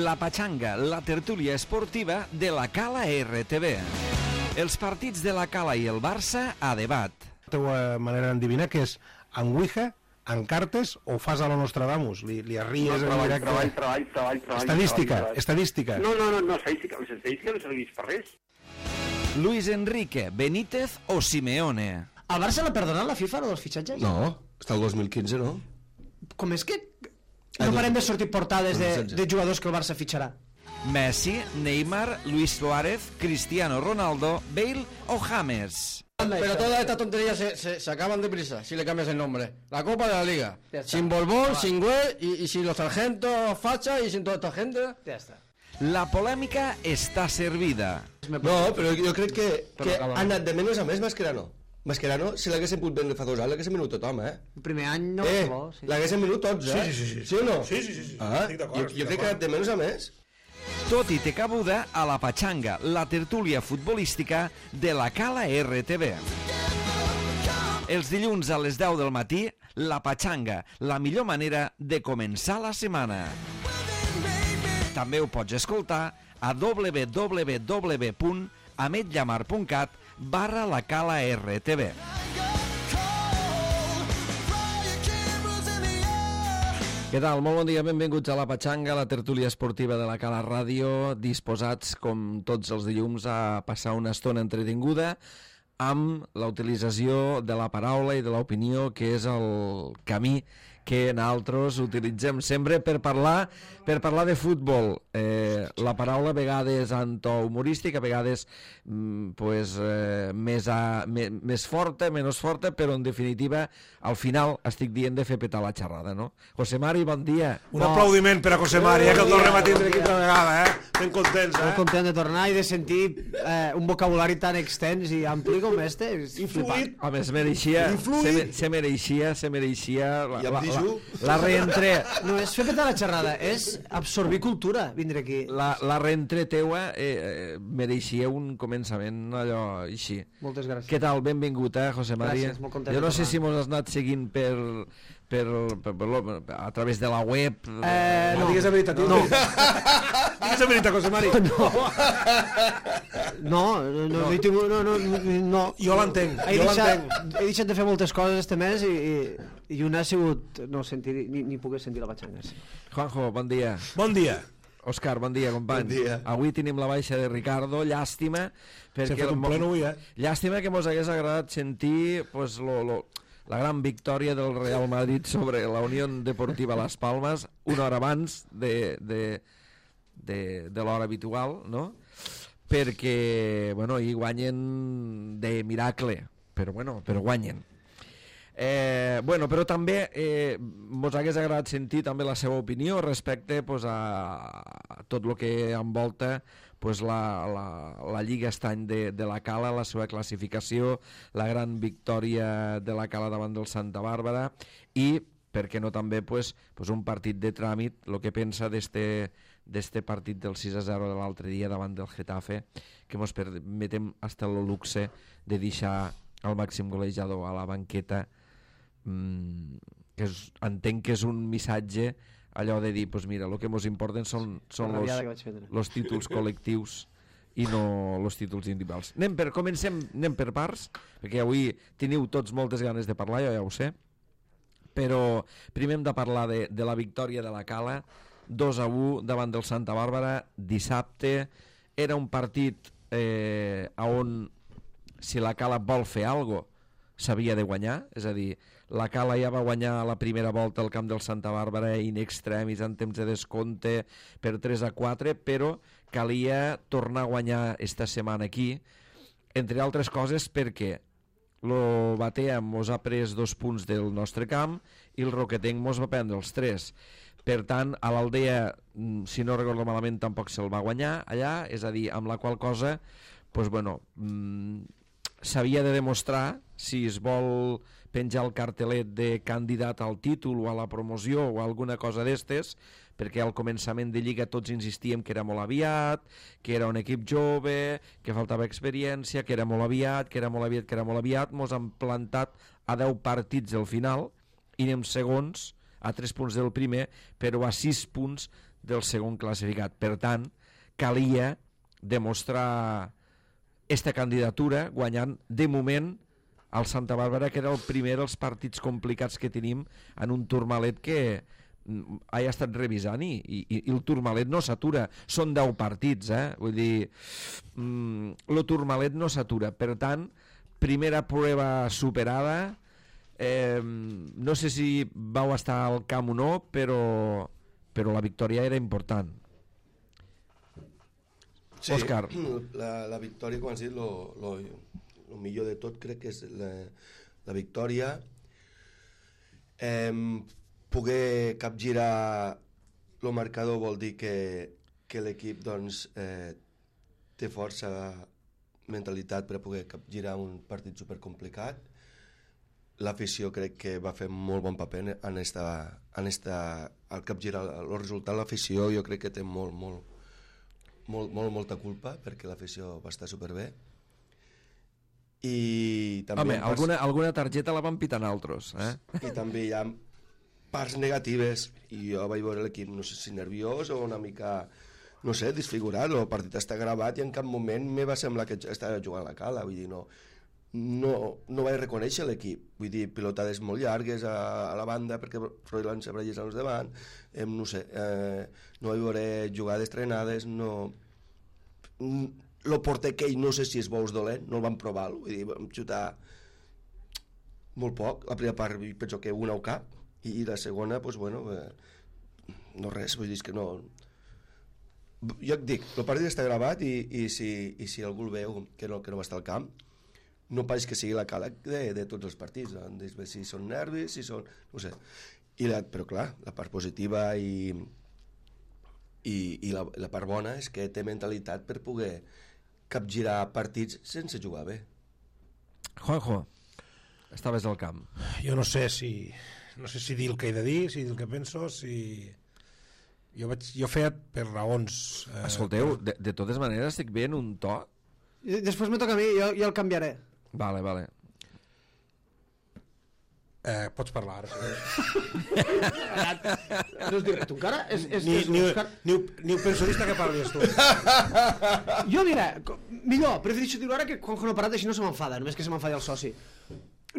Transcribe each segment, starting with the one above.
La Pachanga, la tertúlia esportiva de la Cala RTV. Els partits de la Cala i el Barça a debat. La teva manera d'endevinar que és en Ouija, en cartes o fas a lo Nostradamus? Li arries en directe? Treball. Estadística. No, estadística. L'estadística no serveix per res. Luis Enrique, Benítez o Simeone. El Barça l'ha perdonat la FIFA, dels fitxatges? No, està el 2015, no? Com és que no parem de sortir portades de jugadors que el Barça fitxarà? Messi, Neymar, Luis Suárez, Cristiano Ronaldo, Bale o James. Pero todas estas tonterías se acaban deprisa si le cambias el nombre. La Copa de la Liga. Sin Borbón, sin Güell y sin los sargentos Facha y sin toda esta gente. Ja està. La polèmica està servida. No, però jo crec que ha anat de menys a més Mascherano. Mascherano, si l'haguessin pogut vendre fa 2 anys, l'haguessin venut tothom, El primer any no... l'haguessin venut tots, Sí. Sí o no? Sí. Jo crec que ha anat de menys a més. Tot i té cabuda a la Pachanga, la tertúlia futbolística de la Cala RTV. Els dilluns a les 10 del matí, la Pachanga, la millor manera de començar la setmana. També ho pots escoltar a www.ametllamar.cat/la Cala RTV. Què tal? Molt bon dia, benvinguts a la Pachanga, la tertúlia esportiva de la Cala Ràdio, disposats, com tots els dilluns, a passar una estona entretinguda amb la utilització de la paraula i de l'opinió, que és el camí que nosaltres utilitzem sempre per parlar de futbol. La paraula a vegades en to humorístic, a vegades més forta, menys forta, però en definitiva al final estic dient de fer petar la xerrada, no? José Mari, bon dia. Un aplaudiment per a José Mari, que el tornem a tindre aquí altra vegada, Ben contents, Molt content de tornar i de sentir un vocabulari tan extens i ampli com este. I fluid. Home, se mereixia la reentré. No és fer petar la xerrada, és absorbir cultura, vindre aquí. La reentré teua mereixia un començament allò així. Moltes gràcies. Què tal? Benvingut, José Mari. Gràcies, molt content Jo no de sé tornar. si mos has anat seguint a través de la web. No digues la veritat, No. Digues la veritat, José Mari. No. Jo l'entenc, He deixat de fer moltes coses este mes i una ha sigut no sentir, ni poder sentir la Pachanga. Juanjo, bon dia. Bon dia. Òscar, bon dia, company. Bon dia. Avui tenim la baixa de Ricardo, llàstima. S'ha fet un pleno avui, Llàstima que mos hagués agradat sentir la gran victòria del Real Madrid sobre la Unió Deportiva Las Palmas una hora abans de l'hora habitual, no? Perquè, hi guanyen de miracle, però guanyen. Però també mos hagués agradat sentir també la seva opinió respecte a tot el que envolta la Lliga estany de la Cala, la seva classificació, la gran victòria de la Cala davant del Santa Bàrbara i, per què no també, un partit de tràmit, el que pensa d'este partit del 6-0 de l'altre dia davant del Getafe, que ens permetem hasta el luxe de deixar el màxim golejador a la banqueta, que entenc que és un missatge allò de dir, mira, el que ens importen són els títols col·lectius i no els títols individuals. Anem per parts, perquè avui teniu tots moltes ganes de parlar, jo ja ho sé, però primer hem de parlar de la victòria de la Cala, 2-1 davant del Santa Bàrbara, dissabte. Era un partit on, si la Cala vol fer alguna cosa, s'havia de guanyar, és a dir, la Cala ja va guanyar la primera volta al camp del Santa Bàrbara in extremis en temps de descompte per 3-4, però calia tornar a guanyar esta setmana aquí, entre altres coses perquè el Batea mos ha pres 2 punts del nostre camp i el Roquetenc mos va prendre els 3. Per tant, a l'Aldea, si no recordo malament, tampoc se'l va guanyar allà, és a dir, amb la qual cosa s'havia de demostrar si es vol penjar el cartelet de candidat al títol o a la promoció o alguna cosa d'estes, perquè al començament de Lliga tots insistíem que era molt aviat, que era un equip jove, que faltava experiència, que era molt aviat, mos han plantat a 10 partits al final i anem segons a 3 punts del primer, però a 6 punts del segon classificat. Per tant, calia demostrar esta candidatura guanyant de moment al Santa Bàrbara, que era el primer dels partits complicats que tenim en un Tourmalet que he estat revisant i el Tourmalet no s'atura. Són 10 partits, vull dir, el Tourmalet no s'atura. Per tant, primera prova superada. No sé si vau estar al camp o no, però la victòria era important. Sí, Òscar. La victòria, com has dit, el millor de tot crec que és la victòria. Poder capgirar el marcador vol dir que l'equip doncs, té força mentalitat per a poder capgirar un partit supercomplicat. L'afició crec que va fer molt bon paper al capgirar el resultat. L'afició jo crec que té molta culpa, perquè l'afició va estar superbé. I també alguna targeta la van pitar altres, i també hi ha parts negatives, i jo vaig veure l'equip, no sé si nerviós o una mica, no sé, desfigurat. El partit està gravat i en cap moment me va semblar que estava jugant a la cala, vull dir, no vaig reconèixer l'equip, vull dir, pilotades molt llargues a la banda perquè Froilán se brellés als davant, no sé, no vaig veure jugades trenades, no. El porter aquell no sé si és bo o és dolent, no el vam provar, vull dir, vam xutar molt poc. La primera part penso que una o cap, i la segona, doncs, bueno, no res, vull dir, és que no. Jo et dic, el partit està gravat i si algú el veu que no va estar al camp, no pareix que sigui la cala de tots els partits, si són nervis, si són, no sé. Però clar, la part positiva i la part bona és que té mentalitat per poder capgirar partits sense jugar bé. Juanjo, estaves al camp. Jo no sé si dir el que he de dir, si dir el que penso, si... Jo feia per raons... Escolteu, de totes maneres estic bé en un to? Després me toca a mi, jo el canviaré. Vale. Pots parlar ara. No es diu res, tu encara? Ni ho penso que parlis tu. Jo, mira, millor, prefereixo dir-ho ara que quan no ha parat així no se m'enfada, només que se m'enfadi el soci.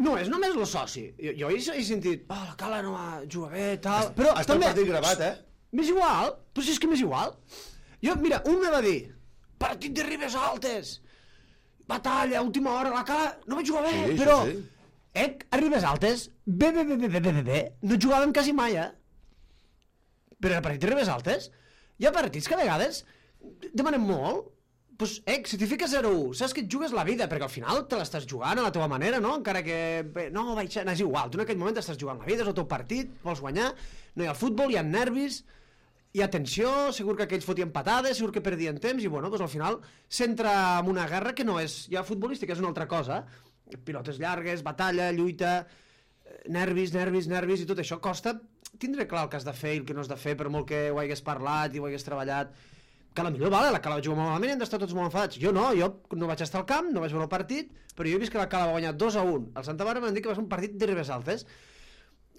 No, és només el soci. Jo he sentit, la Cala no va jugar bé, tal... Però està el partit gravat, M'és igual, però si és que m'és igual. Jo, mira, un me va dir, partit de Ribes Altes, batalla, última hora, la Cala no va jugar bé, però... Sí. A Ribes Altes, bé, no jugàvem quasi mai, Però el partit de Ribes Altes, hi ha partits que a vegades demanem molt, doncs, si t'hi fiques 0-1, saps que et jugues la vida, perquè al final te l'estàs jugant a la teva manera, no? Encara que, no, és igual, tu en aquell moment estàs jugant la vida, és el teu partit, vols guanyar, no hi ha futbol, hi ha nervis, hi ha tensió, segur que aquells fotien patades, segur que perdien temps, i bueno, doncs al final s'entra en una guerra que no és ja futbolística, és una altra cosa, pilotes llargues, batalla, lluita, nervis, i tot això costa tindre clar el que has de fer i el que no has de fer, per molt que ho hagués parlat i ho hagués treballat. Que potser vale, la Cala va jugar molt malament i hem d'estar tots molt enfadats. Jo no vaig estar al camp, no vaig veure el partit, però jo he vist que la Cala va guanyar 2-1. El Santa Bàrbara m'han dit que va ser un partit de Ribes Altes,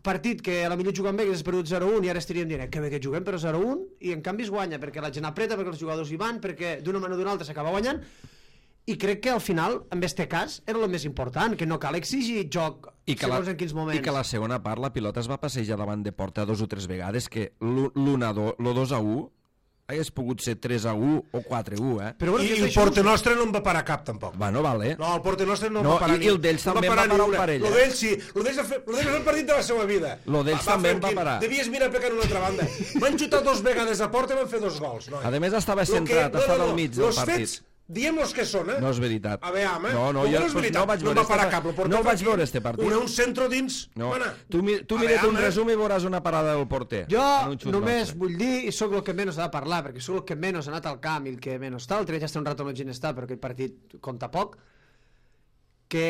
partit que a la millor juguen bé, que s'ha perdut 0-1 i ara estaríem dient que bé que juguem però 0-1, i en canvi es guanya perquè la gent apreta, perquè els jugadors hi van, perquè d'una manera o d'una altra s'acaba guanyant. I crec que al final, en este cas, era el més important, que no cal exigir joc segons en quins moments. I que la segona part la pilota es va passejar davant de porta 2 o 3 vegades, que l'1-2 hagués pogut ser 3-1 o 4-1, Però bueno, i el porter nostre no en va parar cap, tampoc. Bueno, vale. No, el porter nostre no va parar ni... I el d'ells també va parar un parell. Lo d'ells sí, lo d'ells és el partit de la seva vida. Lo d'ells també va parar. Devies mirar pecant una altra banda. Van xutar 2 vegades a porta i van fer 2 gols. A més estava centrat, estava al mig del partit. Diem els que són, No és veritat. A veure, home. No vaig veure este partit. Un centro dins. No. Tu mira't un resum i veuràs una parada del porter. Jo només vull dir, i sóc el que menys ha de parlar, perquè sóc el que menys ha anat al camp i el que menys tal, ja està un rato amb el gent està, però aquell partit compta poc, que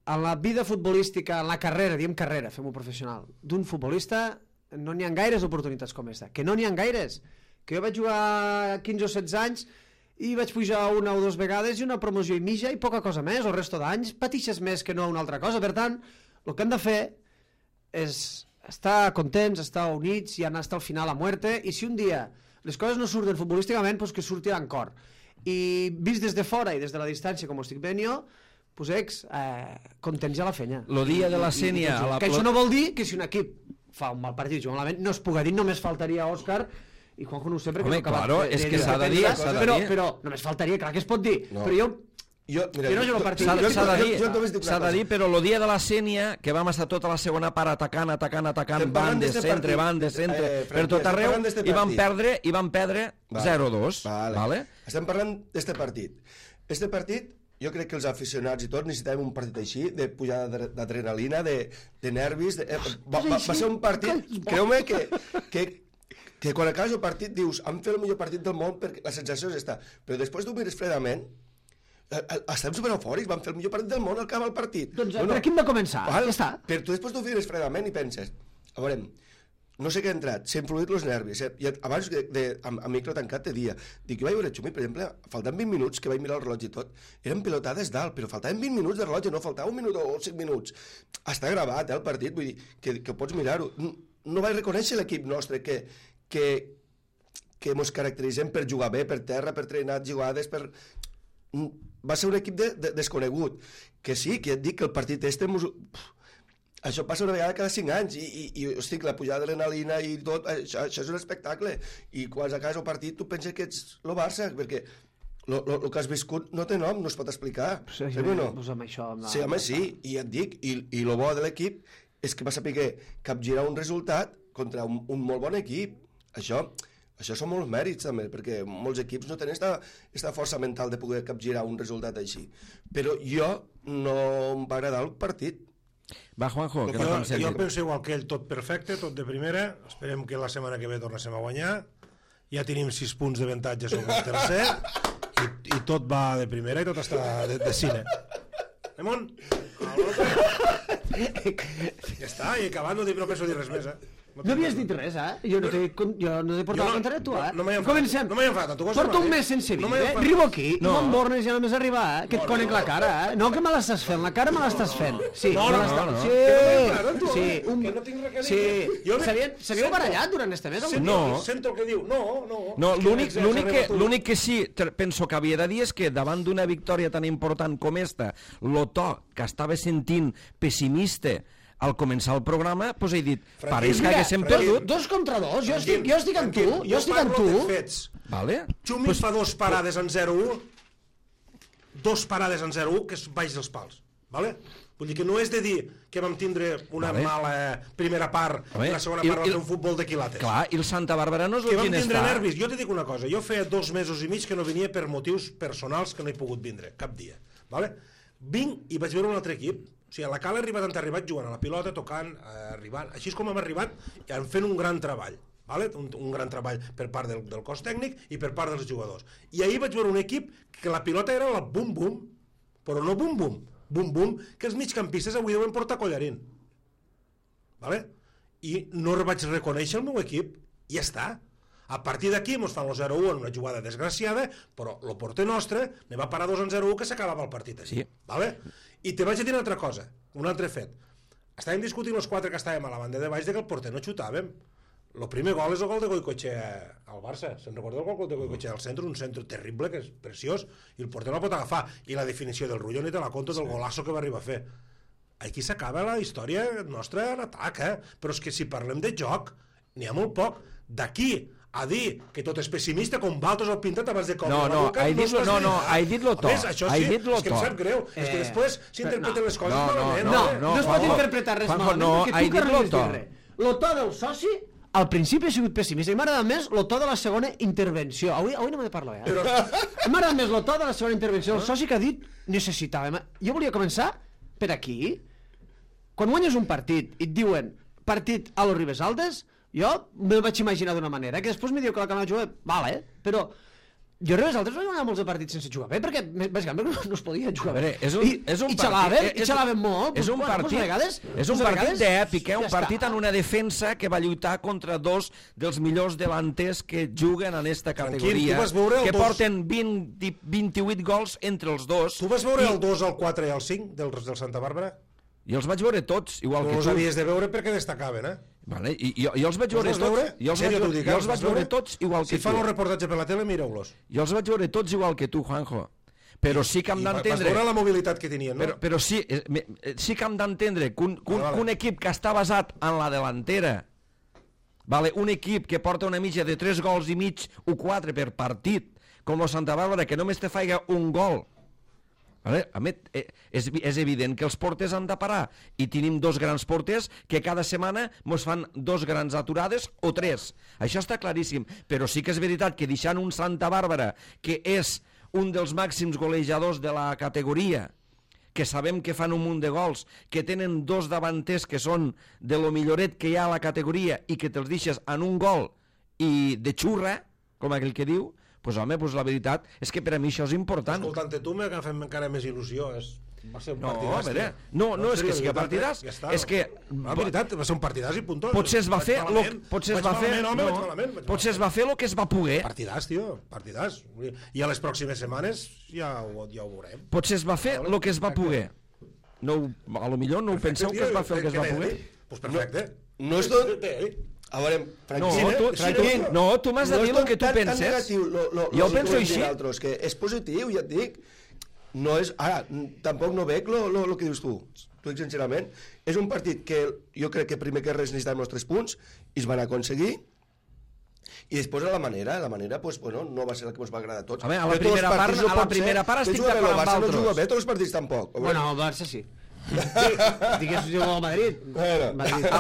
en la vida futbolística, en la carrera, diem carrera, fem-ho professional, d'un futbolista no n'hi ha gaires oportunitats com esta. Que no n'hi ha gaires. Que jo vaig jugar 15 o 16 anys i vaig pujar 1 o 2 vegades i una promoció i mitja i poca cosa més, el resto d'anys patixes més que no una altra cosa. Per tant, el que hem de fer és estar contents, estar units i anar fins al final a muerte, i si un dia les coses no surten futbolísticament, pues que surtin cor. I vist des de fora i des de la distància, com ho estic veient jo, pues contents ja la fenya. Lo dia de la Sènia... Que això no vol dir que si un equip fa un mal partit, juga malament, no es puga dir, només faltaria Òscar, i Juanjo no ho sé perquè home, no acabat claro, és que s'ha de dir, però només faltaria, clar que es pot dir, però jo no jugo partit. S'ha de dir, però el dia de la Sènia, que vam estar tota la segona part atacant, bandes, centre, per tot arreu, i vam perdre 0-2. Vale? Estem parlant d'este partit. Este partit, jo crec que els aficionats i tots necessitàvem un partit així, de pujada d'adrenalina, de nervis... Va ser un partit, creu-me que quan acabes el partit dius han fet el millor partit del món perquè la sensació és esta, però després t'ho mires fredament, estem supereufòrics, vam fer el millor partit del món al acabar el partit. Doncs per aquí hem de començar, ja està. Però tu després t'ho mires fredament i penses, a veure, no sé què ha entrat, s'ha influït els nervis, i abans amb micro tancat te dia, dic, jo vaig veure Xumi, per exemple, faltant 20 minuts, que vaig mirar el rellotge i tot, eren pilotades dalt, però faltaven 20 minuts de rellotge, no faltava 1 minut o 5 minuts. Està gravat, el partit, vull dir, que pots mirar-ho. No vaig reconèixer l'equip nostre, que mos caracteritzem per jugar bé, per terra, per trenar jugades, va ser un equip desconegut, que sí, que et dic que el partit això passa una vegada cada 5 anys i hosti, la pujada de l'adrenalina i tot, això és un espectacle, i quan acabes el partit tu penses que ets el Barça, perquè el que has viscut no té nom, no es pot explicar. Sí, no? Sí, home, sí, i et dic, i el bo de l'equip és que va saber capgirar un resultat contra un molt bon equip. Això són molts mèrits també, perquè molts equips no tenen aquesta força mental de poder capgirar un resultat així. Però jo no em va agradar el partit. Va, Juanjo, que jo penso igual que ell, tot perfecte, tot de primera. Esperem que la setmana que ve tornéssim a guanyar. Ja tenim 6 punts d'avantatge sobre el tercer i tot va de primera i tot està de cine. Anem? Ja està, i acabant no penso dir res més, No havies dit res, Jo no t'he portat la contrari a tu, No m'he enfadat. Porto un mes sense vindre, arribo aquí, i m'embornes ja només arribar, que et conec la cara, No que me l'estàs fent, la cara me l'estàs fent. Sí, que no tinc res a dir. S'havíeu barallat durant este mes? No. Sento el que diu, no. L'únic que sí penso que havia de dir és que davant d'una victòria tan important com esta, el to que estava sentint pessimista al començar el programa, doncs he dit, pareix que haguéssim perdut. 2 contra 2, jo estic amb tu, Vale? Xumi fa 2 parades en 0-1, 2 parades en 0-1, que és baix dels pals, vale? Vull dir que no és de dir que vam tindre una mala primera part i la segona part va fer un futbol de quilates. Clar, i el Santa Bàrbara no és el que quin està. vam tindre nervis. Jo t'he dit una cosa, jo feia 2 mesos i mig que no venia per motius personals que no he pogut vindre, cap dia, vale? Vinc i vaig veure un altre equip. O sigui, a la Cala han arribat jugant a la pilota, tocant, arribant. Així és com hem arribat fent un gran treball. Vale? Un gran treball per part del cos tècnic i per part dels jugadors. I ahir vaig veure un equip que la pilota era la bum-bum, però no bum-bum, bum-bum, que els migcampistes avui deuen portar collarín. Vale? I no vaig reconèixer el meu equip, i ja està. A partir d'aquí ens fan el 0-1 en una jugada desgraciada, però el porter nostre ne va parar 2-0 que s'acabava el partit així. Sí. Vale? I te vaig a dir una altra cosa, un altre fet. Estàvem discutint els 4 que estàvem a la banda de baix de que el porter no xutàvem. El primer gol és el gol de Goicoechea al Barça. Se'n recorda el gol de Goicoechea al centre? Un centre terrible, que és preciós, i el porter no el pot agafar. I la definició del Rullo ni te la conto del golasso que va arribar a fer. Aquí s'acaba la història nostra en atac, Però és que si parlem de joc, n'hi ha molt poc. D'aquí a dir que tot és pessimista com Valtos el pintat abans de com he dit lo to. Això sí, és que em sap greu. És que després s'interpreten les coses malament. No es pot interpretar res malament, perquè tu que no has dit res. Lo to del soci al principi ha sigut pessimista i m'ha agradat més lo to de la segona intervenció. Avui no m'he de parlar, M'ha agradat més lo to de la segona intervenció del soci que ha dit necessitàvem. Jo volia començar per aquí. Quan guanyes un partit i et diuen partit a los Ribes Altes, jo me'l vaig imaginar d'una manera, que després me diu que la cama de jugar, vale, però jo a Ribes Altes vaig guanyar molts de partits sense jugar bé, perquè bàsicament no es podia jugar bé. I xalaven molt. És un partit d'èpic, un partit en una defensa que va lluitar contra 2 dels millors delanters que juguen en esta categoria, que porten 28 gols entre els dos. Tu vas veure el 2, el 4 i el 5 del Santa Bàrbara? I els vaig veure tots, igual que tu. Els havies de veure perquè destacaven, Vale? I jo els vaig veure tots. Jo els vaig veure tots igual que tu. Si fan un reportatge per la tele, mireu-los. Jo els vaig veure tots igual que tu, Juanjo. Però sí que hem d'entendre... Vas veure la mobilitat que tenien, no? Però sí que hem d'entendre que un equip que està basat en la delantera, vale? Un equip que porta una mitja de 3 gols i mig o 4 per partit, com el Santa Bàrbara, que només te faiga un gol, vale? A més, és evident que els porters han de parar, i tenim 2 grans porters que cada setmana ens fan 2 grans aturades o 3. Això està claríssim, però sí que és veritat que deixant un Santa Bàrbara, que és un dels màxims golejadors de la categoria, que sabem que fan un munt de gols, que tenen 2 davanters que són de lo milloret que hi ha a la categoria i que te'ls deixes en un gol i de xurra, com aquell que diu, pues home, pues la veritat és que per a mi això és important. Escoltant-te tu m'ha fet encara més il·lusió. Va ser un partidàs. A veure, no, és que si que partidàs, és que... La veritat, va ser un partidàs i puntó. Potser es va fer... Potser es va fer el que es va poder. Partidàs, tio, partidàs. I a les pròximes setmanes ja ho veurem. Potser es va fer el que es va poder. A lo millor no ho penseu que es va fer el que es va poder. Doncs perfecte. No és tot... A veure, Franquín, no, tu m'has de dir el que tu penses. Jo ho penso així. Que és positiu, ja et dic. No és... Ara, tampoc no veig el que dius tu. T'ho dic sincerament. És un partit que jo crec que primer que res necessitàvem els 3 punts i es van aconseguir. I després la manera, pues, bueno, no va ser la que ens va agradar a tots. A veure, a la primera part estic d'acord amb altres. No juga bé tots els partits tampoc. Bueno, el Barça sí. Digues jugar al Madrid.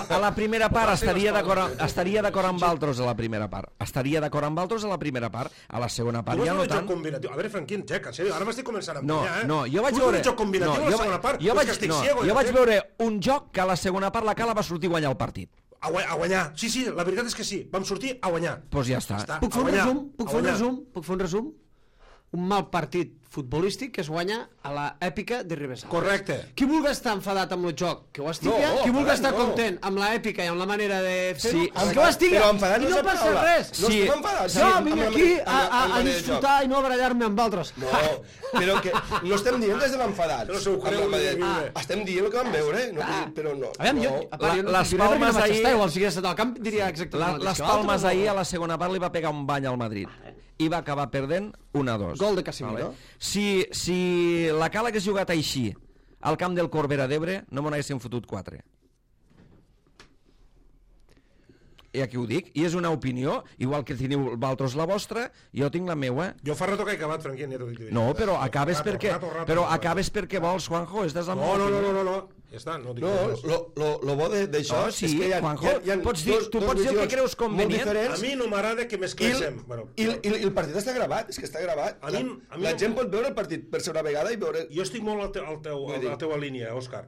A la primera part estaria d'acord amb altres a la primera part. Estaria d'acord amb altres a la primera part. A la segona part ja no tant. A veure, Franquín, xeca, en sèrio, ara m'estic començant a emprenyar, No, jo vaig veure... Jo vaig veure un joc que a la segona part la Cala va sortir a guanyar el partit. A guanyar, sí, la veritat és que sí. Vam sortir a guanyar. Doncs ja està. Puc fer un resum? Un mal partit futbolístic que es guanya a l'èpica de Ribes Altes. Correcte. Qui vulgui estar enfadat amb el joc, que ho estigui, qui vulgui estar content amb l'èpica i amb la manera de fer-ho, que ho estigui, i no passa res. No estic enfadat. Jo vinc aquí a disfrutar i no a barallar-me amb altres. No, però que no estem dient des de l'enfadat. Estem dient el que vam veure, però no. Les Palmes ahir... Si hagués estat al camp diria exactament les Palmes ahir a la segona part li va pegar un bany al Madrid i va acabar perdent 1-2. Gol de Casemiro. Si la Cala hagués jugat així al camp del Corbera d'Ebre, no me n'haguessin fotut 4. I aquí ho dic, i és una opinió, igual que teniu vosaltres la vostra, jo tinc la meua. Jo fa rato que he acabat, Franquín, ja t'ho dic. No, però acabes perquè vols, Juanjo, estàs amb No. Ja està, no dic res. Lo bo d'això és que Juanjo, tu pots dir el que creus convenient. A mi no m'agrada que mescléssim. I el partit està gravat, és que està gravat. La gent pot veure el partit per ser una vegada i veure... Jo estic molt a la teua línia, Òscar.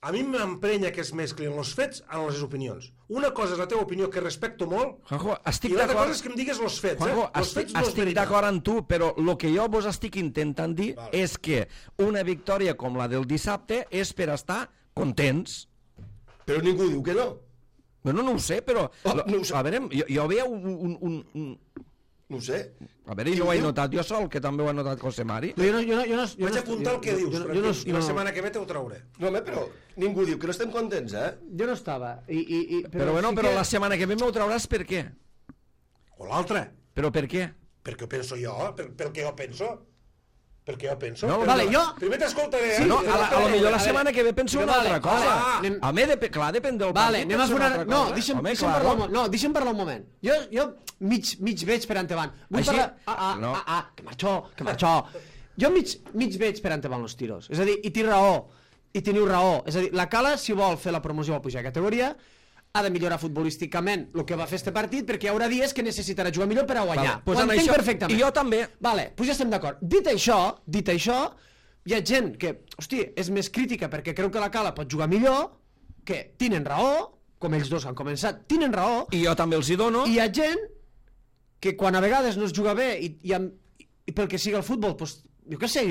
A mi m'emprenya que es mesclin els fets amb les opinions. Una cosa és la teva opinió, que respecto molt, Juanjo, i l'altra cosa és que em digues els fets. Juanjo, estic d'acord amb tu, però el que jo vos estic intentant dir és que una victòria com la del dissabte és per estar contents. Però ningú diu que no. Bueno, no ho sé, però... A veure, jo veia un... No ho sé. A veure, jo ho he notat jo sol, que també ho ha notat José Mari. Vaig apuntar el que dius, i la setmana que ve t'ho trauré. No, home, però ningú diu que no estem contents, eh? Jo no estava. Però la setmana que ve m'ho trauràs per què? O l'altra. Però per què? Perquè ho penso jo, pel que jo penso. Perquè jo penso... Vale, jo... Primer t'escoltaré, No, a lo millor la setmana que ve penso una altra cosa. A mi, clar, depèn del partit. Anem a fer una... No, deixa'm parlar un moment. Jo mig veig per endavant. Vull parlar... Que marxó. Jo mig veig per endavant els tiros. És a dir, i teniu raó. És a dir, la Cala, si vol fer la promoció o pujar a categoria, ha de millorar futbolísticament el que va fer este partit, perquè hi haurà dies que necessitarà jugar millor per a guanyar. Ho entenc perfectament. I jo també. Vale, doncs ja estem d'acord. Dit això, hi ha gent que, hosti, és més crítica perquè creu que la Cala pot jugar millor, que tenen raó, com ells dos han començat, tenen raó. I jo també els hi dono. I hi ha gent que quan a vegades no es juga bé i pel que siga el futbol, doncs jo què sé,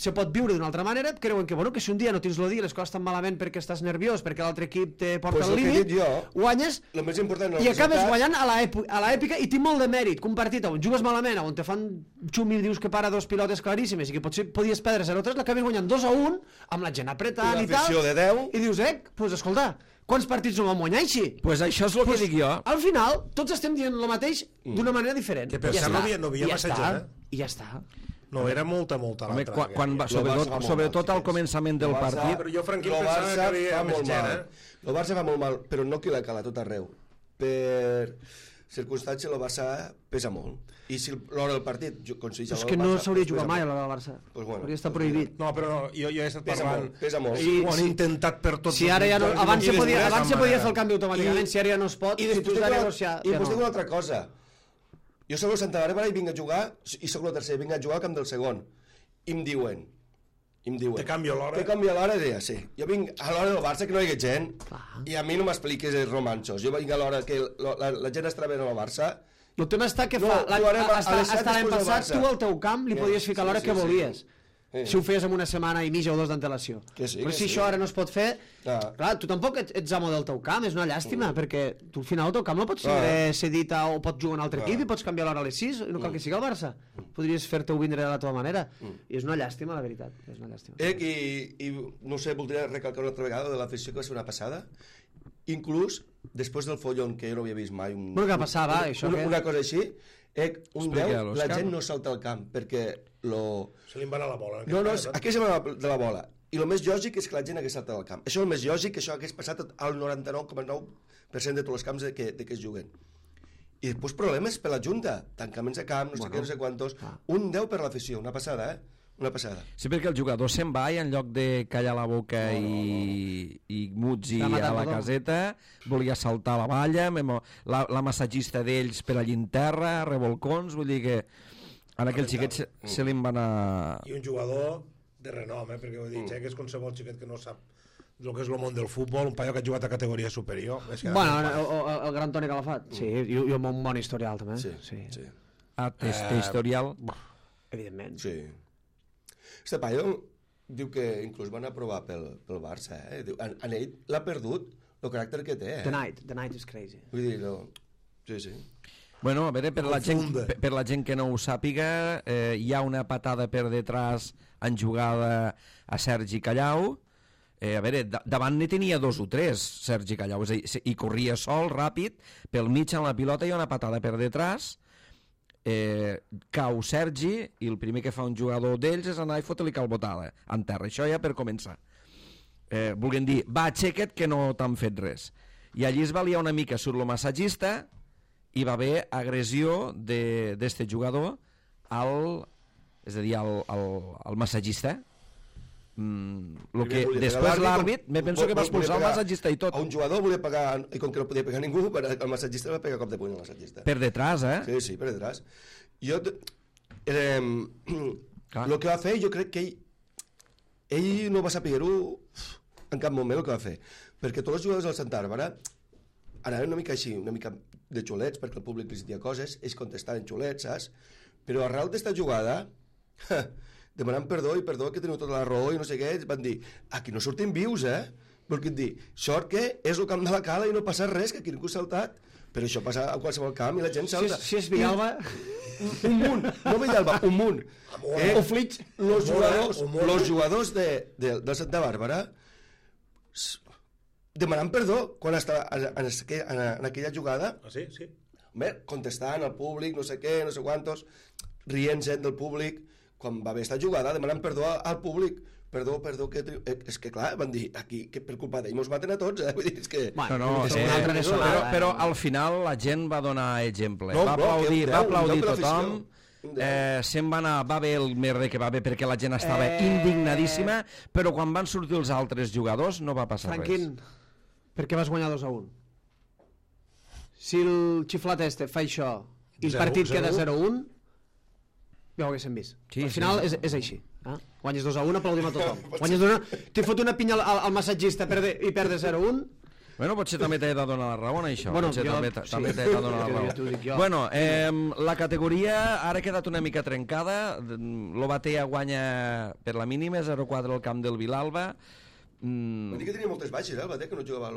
se pot viure d'una altra manera, creuen que, bueno, que si un dia no tens el dia, les coses estan malament perquè estàs nerviós, perquè l'altre equip te porta Pues al el que he límit, dit jo, guanyes el més important no i és el acabes resultat. guanyant a l'èpica i té molt de mèrit que un partit on jugues malament, on te fan xumi i dius que para dos pilotes claríssimes i que potser podies perdre 0-3, l'acabes guanyant 2-1 amb la gent apretant Una i tal, afició de 10. i dius, pues escolta, quants partits no vam guanyar així? Pues això és el que dic jo. Al final, tots estem dient el mateix d'una manera diferent. Que per I ja cert està. no havia I ja massa està. gent, I ja està. No, era molta Home, l'altra. quan va, El Barça fa molt sobretot mal, al començament del El Barça- partit, Però jo, Franquín, El pensava que Barça havia fa més molt gent, mal. El Barça fa molt mal, però no que la cala tot arreu. Per circumstàncies el Barça pesa molt. I si l'hora del partit aconsegueix És el que no Barça, s'hauria pues jugat pesa mai a molt. l'hora del Barça. Pues bueno, Hauria estat pues prohibit. No, però no, jo he estat Pesa parlant. molt, pesa molt. I ho han intentat per tots Si ara ja no, mitjans, abans i se podia, després, abans se amb podia manera. fer el canvi automàticament, si ara ja no es pot, I si tu després has de dic negociar... i després dic una altra cosa. Jo soc el Santa Bàrbara i vinc a jugar, i soc el tercer, vinc a jugar al camp del segon. I em diuen, Te canvio l'hora. Te canvia l'hora? Ja, sí. Jo vinc a l'hora del Barça que no hi hagi gent, i a mi no m'expliquis els romanços. Jo vinc a l'hora que la gent està veient el Barça. El tema està que No, jugarem a les set hasta l'any després del passat Barça. tu al teu camp li podies ficar l'hora sí, que sí. volies. Sí. Si ho feies amb una setmana i mitja o dos d'antelació. Que sí, Però que si sí. això ara no es pot fer, clar, tu tampoc ets amo del teu camp, és una llàstima, perquè tu al final el teu camp no pots ser cedit o pots jugar a un altre equip i pots canviar l'hora a les 6, no cal que sigui el Barça. Podries fer-te-ho vindre de la teva manera. I és una llàstima, la veritat. És una llàstima. I no sé, voldria recalcar una altra vegada de l'afició que va ser una passada. Inclús, després del follon que jo no havia vist mai... Bueno, què passava, això? Una cosa així, un Explica, 10, la l'Òscar. gent no salta al camp, perquè Se li en va anar la bola. No, aquí se va de la bola. I el més lògic és que la gent hagués saltat al camp. Això és el més lògic, que això hagués passat al 99,9% de tots els camps que es juguen. I després problemes per la Junta, tancaments de camp, no sé què, no sé quantos. Un 10 per l'afició, una passada, Una passada. Sí, perquè el jugador se'n va i en lloc de callar la boca i muts a la caseta, volia saltar a la valla, la massatgista d'ells per allí en terra, revolcons, vull dir que ara aquell xiquet se li en va anar... I un jugador de renom, perquè ho he dit, que és qualsevol xiquet que no sap el que és el món del futbol, un paio que ha jugat a categoria superior. Bueno, el gran Toni Calafat, sí, i un bon historial també. Sí. Té historial... Evidentment. Sí. Este paio diu que inclús van aprovar pel Barça, Diu, en ell l'ha perdut el caràcter que té, The night is crazy. Vull dir, no... Sí. Bueno, a veure, per la gent que no ho sàpiga, hi ha una patada per detrás en jugada a Sergi Callau. A veure, davant n'hi tenia 2 o 3, Sergi Callau, és a dir, i corria sol, ràpid, pel mig en la pilota hi ha una patada per detrás, cau Sergi i el primer que fa un jugador d'ells és anar i fotre-li calbotada en terra, això ja per començar. Volguem dir, va, aixeca't que no t'han fet res. I allí es valia una mica surt el massatgista i va haver agressió d'este jugador és a dir, al massatgista. Després l'àrbit me penso que va expulsar el massatgista i tot. A un jugador volia pegar, i com que no podia pegar ningú, el massatgista va pegar cop de puny al massatgista. Per detrás, Sí, per detrás. El que va fer, jo crec que ell no va saber-ho en cap moment el que va fer, perquè tots els jugadors del Santa Bàrbara anaven una mica així, una mica de xulets, perquè el públic li diia coses, ells contestaven xulets, saps? Però arrel d'esta jugada, demanant perdó, que teniu tota la raó i no sé què, van dir, aquí no sortim vius, Volguem dir, sort que és el camp de la Cala i no passa res, que aquí ningú ha saltat, però això passa a qualsevol camp i la gent salta. Si és Villalba... Un munt, no Villalba, un munt. O Flix. Los jugadors de Santa Bàrbara demanant perdó quan estava en aquella jugada. Sí. Bé, contestant al públic, no sé què, no sé quantos, rient-se'n del públic, quan va haver esta jugada, demanant perdó al públic. Perdó, que... És que clar, van dir, aquí, que per culpa d'ell mos maten a tots, Vull dir, és que... Però al final la gent va donar exemple. Va aplaudir tothom, se'n va anar, va haver el merder que va haver perquè la gent estava indignadíssima, però quan van sortir els altres jugadors no va passar res. Franquín, per què vas guanyar 2-1? Si el xiflat este fa això i el partit queda 0-1, ja ho haguéssim vist. Al final és així. Guanyes 2-1, aplaudim a tothom. T'hi fot una pinya al massatgista i perdes 0-1 Bueno, potser també t'he de donar la raó en això. Bueno, Potser jo- també sí. t'he de donar la Jo raó. t'ho dic jo. Bueno, la categoria ara ha quedat una mica trencada. L'Obatea guanya per la mínima, 0-4 al camp del Vilalba. Vol dir que tenia moltes baixes, el Batet, que no jugava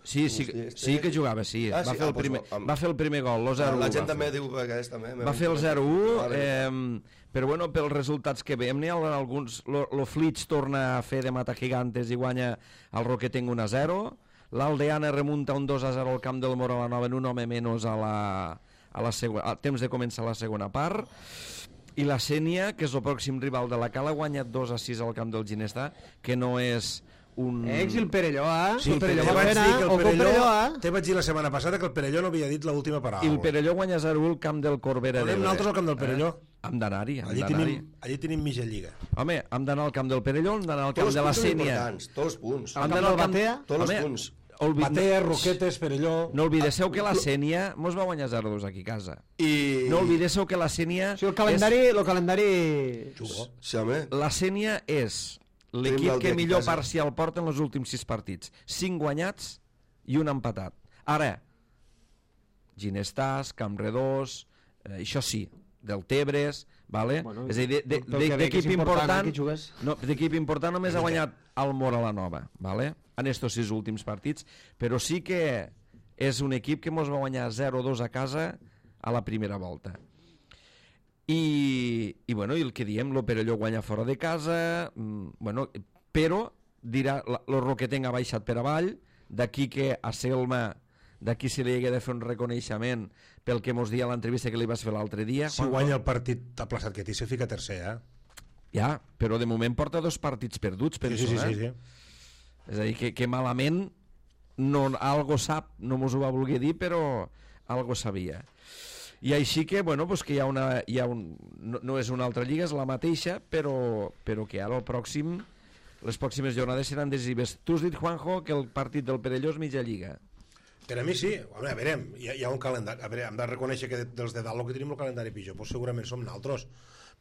Sí que jugava, sí. Ah, sí? Va fer el primer gol, el 0-1. La gent també diu que aquest també... Va fer el 0-1, però bueno, pels resultats que veiem, n'hi ha alguns... Lo Flix torna a fer de mata gigantes i guanya el Roquetenc 1-0. L'Aldeana remunta un 2-0 al camp del Mora la Nova en un home menys a temps de començar la segona part. I la Sénia, que és el pròxim rival de la Cala, guanya 2-6 al camp del Ginestà, que no és un... I el Perelló, Sí, el Perelló te va vaig fer dir que el Perelló... eh? Te vaig dir la setmana passada que el Perelló no havia dit l'última paraula. I el Perelló guanya 0-1 al camp del Corbera Anem d'Ebre. nosaltres al camp del Perelló. Hem d'anar-hi, Allí tenim mitja lliga. Home, hem d'anar al camp del Perelló, hem d'anar al camp Tots de la els punts són Sénia. importants, tots els punts. Hem camp d'anar al del camp... Batea? Tots els Home, punts. Batea, Roquetes, Perelló... No oblidéssiu que la Sénia mos va guanyar 0-2 aquí a casa. I... No oblidéssiu que la Sénia... Sí, el calendari... Sí, home. La Sénia és l'equip Tenim que l'Altea millor aquí a casa. parcial porta en els últims 6 partits. 5 guanyats i un empatat. Ara, Ginestàs, Campredós, això sí, del Tebres, vale? Bueno, és a dir, pel que veig d'equip és important, important, aquí jugues. no, d'equip important només ha guanyat el Mora la Nova, vale? En estos 6 últims partits, però sí que és un equip que mos va guanyar 0-2 a casa a la primera volta. I bueno, i el que diem, lo Perelló guanya fora de casa, bueno, però dirà, lo Roquetenc ha baixat per avall, d'aquí que a Selma, d'aquí se li hagué de fer un reconeixement pel que mos dia a l'entrevista que li vas fer l'altre dia. Si guanya el partit aplaçat que té, se fica tercer, Ja, però de moment porta 2 partits perduts, penso, sí. És a dir, que malament no, algo sap, no mos ho va voler dir, però algo sabia. I així que, bueno, pues que no és una altra lliga, és la mateixa, però que ara les pròximes jornades seran decisives. Tu has dit, Juanjo, que el partit del Perelló és mitja lliga. Per a mi sí, a veure, hi ha un calendari, a veure, hem de reconèixer que dels de dalt el que tenim el calendari pitjor, doncs segurament som naltros,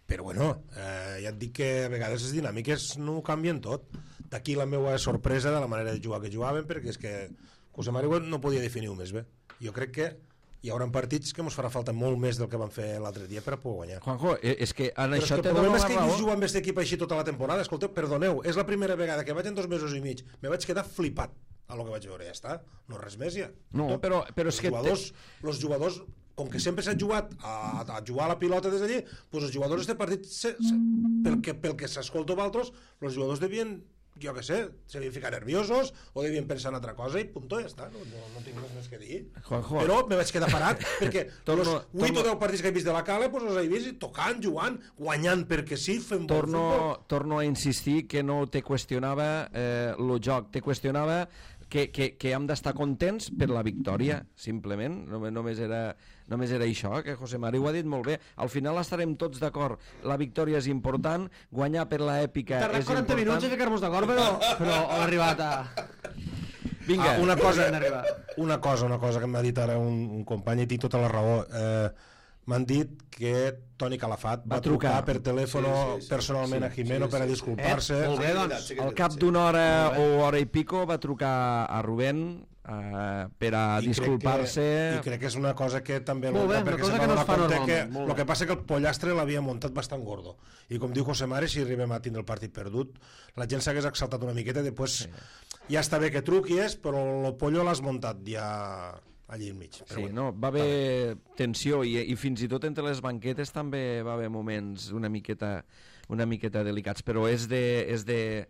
però bueno, ja et dic que a vegades les dinàmiques no ho canvien tot. D'aquí la meva sorpresa de la manera de jugar que jugaven, perquè és que José Mario no podia definir-ho més bé. Jo crec que hi haurà partits que ens farà falta molt més del que van fer l'altre dia per a poder guanyar. Juanjo, és que en Però això és que te el dono problema la és que he raó. vist jugar amb aquest equip així tota la temporada. Escolteu, perdoneu, és la primera vegada que vaig en 2 mesos i mig. Me vaig quedar flipat a lo que vaig veure, ja està. No res més, ja. No, però és que... Els jugadors, com que sempre s'ha jugat a jugar a la pilota des d'allí, doncs els jugadors d'aquest partit, pel que s'escolta d'altres, els jugadors devien, jo què sé, se devien ficar nerviosos o devien pensar en altra cosa i puntó, ja està, no tinc res més que dir. Juanjo. Però me vaig quedar parat perquè els 8 o 10 torno- partits que he vist de la Cala doncs els he vist tocant, jugant, guanyant perquè sí, fent bon futbol. Torno a insistir que no te qüestionava el joc, te qüestionava que hem d'estar contents per la victòria, simplement. Només era això, que José Mari ho ha dit molt bé. Al final estarem tots d'acord, la victòria és important, guanyar per l'èpica és Tardat important. 40 minuts a ficar-nos d'acord, però ha arribat a... Vinga, Una cosa arribar. que m'ha dit ara un company, i tinc tota la raó. M'han dit que Toni Calafat va trucar per telèfon personalment a Jimeno per a disculpar-se. Molt bé, doncs. al cap d'una hora o hora i pico va trucar a Rubén per a disculpar-se. I crec que és una cosa que també Molt bé, perquè una cosa se'n que va no es donar fa compte normalment, molt el bé. que passa que el pollastre l'havia muntat bastant gordo. I com diu José Mari, si arribem a tindre el partit perdut, la gent s'hagués exaltat una miqueta, després ja està bé que truquis, però el pollo l'has muntat ja allí enmig. Però Sí, bueno, no, va haver tensió i fins i tot entre les banquetes també va haver moments una miqueta delicats, però és de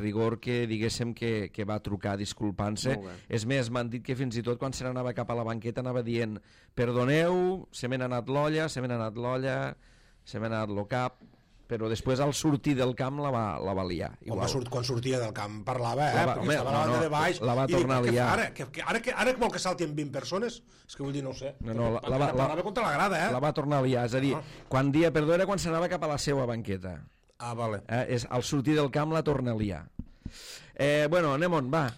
rigor que diguéssim que va trucar disculpant-se. Molt bé. És més, m'han dit que fins i tot quan se n'anava cap a la banqueta anava dient perdoneu, se m'ha anat l'olla, se m'ha anat lo cap, però després al sortir del camp la va liar. quan sortia del camp parlava, perquè home, estava a la banda de baix. la va i dic, tornar a què liar. fa ara que vol que saltin 20 persones? És que vull dir, no ho sé. No, Parlava contra la grada, la va tornar a liar, és a dir, quan dia perdó era quan s'anava cap a la seva banqueta. Ah, vale. Al sortir del camp la torna a liar. Bueno, anem on, va.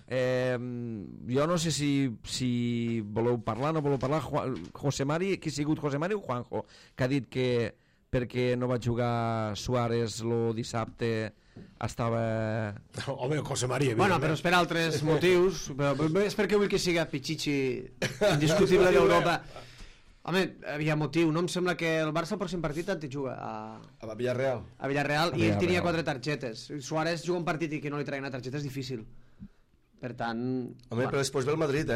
Jo no sé si voleu parlar, no voleu parlar. José Mari, qui ha sigut José Mari o Juanjo? Que ha dit que perquè no va jugar Suárez el dissabte estava... Home, José María, Bueno, però és per altres motius, però és perquè vull que siga Pichichi indiscutible d'Europa. Home, havia motiu, no? Em sembla que el Barça el pròxim partit et juga A Villarreal. a Villarreal i ell tenia 4 targetes. Suárez juga un partit i que no li traguin una targeta és difícil. Per tant... Home, però després ve el Madrid,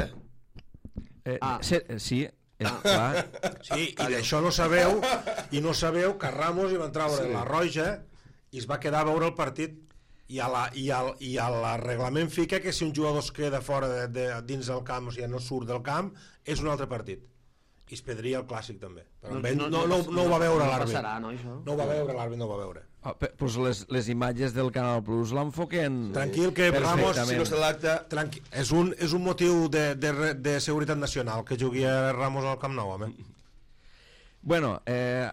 Sí, clar. Sí, i d'això no sabeu, que Ramos hi va treure la roja i es va quedar a veure el partit i a l'arreglament fica que si un jugador es queda fora dins del camp, o sigui, no surt del camp, és un altre partit. I es perdria el clàssic també. Però no ho va veure l'àrbit. No ho va veure l'àrbit, no ho va veure. Pues les imatges del Canal Plus l'enfoquen Tranquil, que Ramos, si no se l'acta... és un motiu de seguretat nacional que jugui a Ramos al Camp Nou, home. Bueno,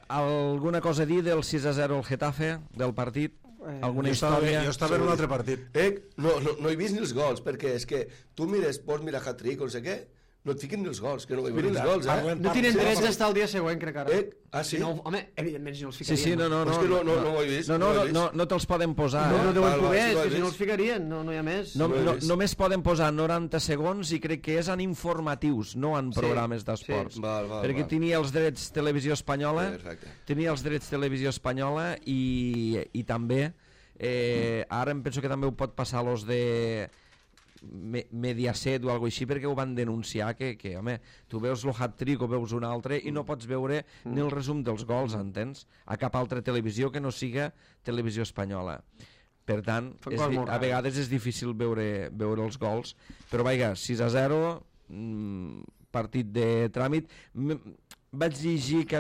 alguna cosa a dir del 6-0 al Getafe, del partit? Alguna història? Jo estava en un altre partit. No he vist ni els gols, perquè és que tu pots mirar hat-trick o no sé què, no et fiquen ni els gols, que no veig els gols, No tenen drets d'estar el dia següent, crec ara. Sí? Home, evidentment, si no els ficarien. Sí, no. És que no ho he vist. No te'ls poden posar. No deuen poder, és que si no els ficarien, no hi ha més. Només poden posar 90 segons i crec que és en informatius, no en programes d'esports. Perquè tenia els drets Televisió Espanyola, i també, ara em penso que també ho pot passar los de Mediaset o alguna així, perquè ho van denunciar que home, tu veus el hat-trick o veus un altre i no pots veure ni el resum dels gols, entens? A cap altra televisió que no siga Televisió Espanyola. Per tant, a vegades és difícil veure els gols, però vaja, 6-0, partit de tràmit. Vaig llegir que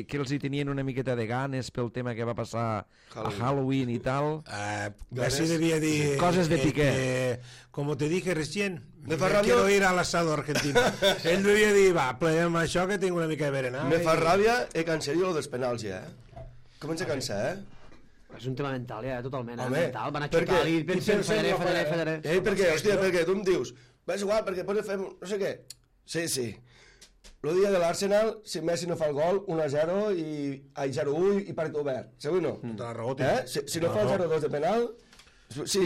que els hi tenien una miqueta de ganes pel tema que va passar a Halloween i tal. Messi devia dir... Coses de Piqué. Como te dije recién, quiero ir al asado argentino. Ell devia dir, va, pleguem això que tinc una mica de berenar. Me fa ràbia cancel·li lo dels penals ja, Comença a cansar, És un tema mental, ja, totalment. Home, mental. Van a xutar i pensen, fallaré. Perquè tu em dius, va, és igual, perquè pots fer no sé què. Sí. El dia de l'Arsenal, si Messi no fa el gol, 1-0 i 0-1 i partit obert. Segur no? Tota la raó, Si no fa el 0-2 de penal... Sí.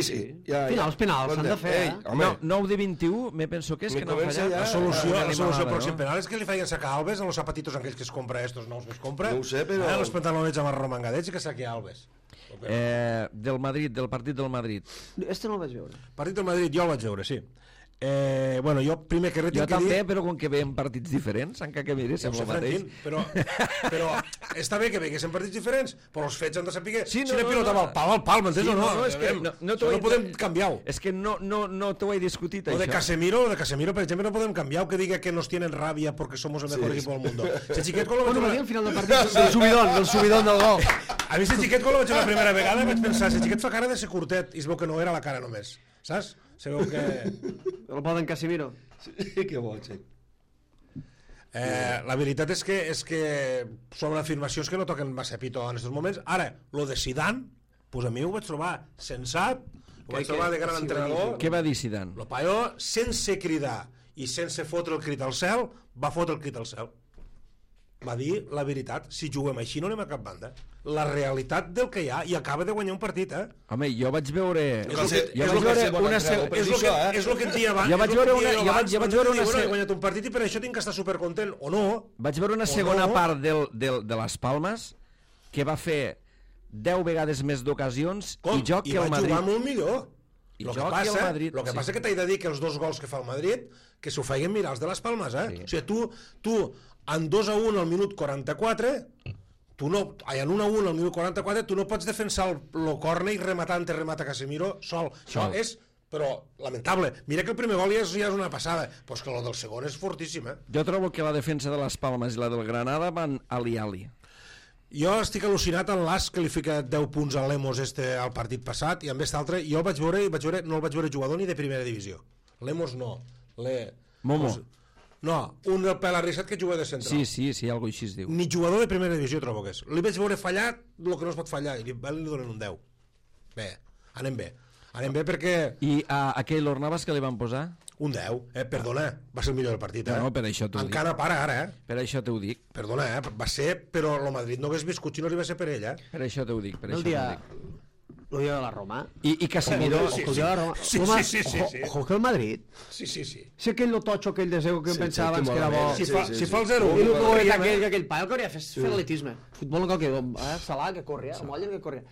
Els penals s'han de fer, 9 de 21, me penso que és que no ha fallat. La solució al pròxim penal és que li feien sacar Alves a los zapatitos aquells que es compra, estos nous que es compra. No ho sé, però... Els pantalonets amb arromangadets i que saqui Alves. Del Madrid, del partit del Madrid. Este no el vaig veure. Partit del Madrid, jo el vaig veure, sí. Bueno, jo primer que jo també, però com que veiem partits diferents, encara que mires sembla el mateix. Però està bé que veguessin partits diferents, però els fets han de saber si la pilota va al pal, m'entens o no? És que no podem canviar-ho. És que no t'ho he discutit, això. De Casemiro, per exemple, no podem canviar-ho, que diga que nos tienen rabia porque somos el mejor equipo del mundo. Si Xiquet con lo vaig al final del partit, del subidón del gol. A mi si Xiquet con lo vaig la primera vegada vaig pensar, si Xiquet fa cara de ser curtet i es veu que no era la cara només, saps? Se veu que... El poden Casemiro. Sí, que bo, sí. La veritat és que són afirmacions que no toquen massa pito en aquests moments. Ara, lo de Zidane, pues a mi ho vaig trobar sensat, ho vaig trobar de gran entrenador. Què va dir Zidane? Lo paio, sense cridar i sense fotre el crit al cel, va fotre el crit al cel. Va dir la veritat, si juguem així no anem a cap banda. La realitat del que hi ha, i acaba de guanyar un partit, Home, jo vaig veure... És el que et dia abans. Jo vaig veure una... He guanyat un partit i per això tinc que estar supercontent, o no? Vaig veure una segona part de les Palmes que va fer 10 vegades més d'ocasions i joc que el Madrid. I va jugar molt millor. El que passa que t'he de dir que els dos gols que fa el Madrid, que s'ho feien mirar els de les Palmes, O sigui, tu en 2-1 al minut 44, en 1-1 al minut 44, tu no pots defensar el córner i remata Casemiro sol. Això és, però, lamentable. Mira que el primer gol ja és una passada, però és que el del segon és fortíssim, Jo trobo que la defensa de les Palmes i la del Granada van ali-ali. Jo estic al·lucinat en l'as que li fica 10 punts al Lemos al partit passat, i amb aquest altre, jo no el vaig veure jugador ni de primera divisió. Lemos no. Momo. No, un del pèl arrissat que juga de central. Sí, algo així es diu. Ni jugador de primera divisió trobo que és. Li vaig veure fallar el que no es pot fallar, i li donen un 10. Bé, anem bé perquè... I a Keylor Navas que li van posar? Un 10, perdona, va ser el millor del partit, No, per això t'ho dic. Encara para ara, Per això t'ho dic. Perdona, va ser, però el Madrid no hagués viscut si no arriba a ser per ell, Per això t'ho dic, el dia de la Roma. I Casemiro... Ojo, el dia de la Roma. Sí, Home, sí. Ojo que el Madrid. Sí. Si aquell lototxo, aquell de Zego que em pensava que era bo. Si fa el 0-1. I el poet aquell paio que hauria fet fer atletisme. Futbol no cal que... Salah, que corria, el Moller que corria.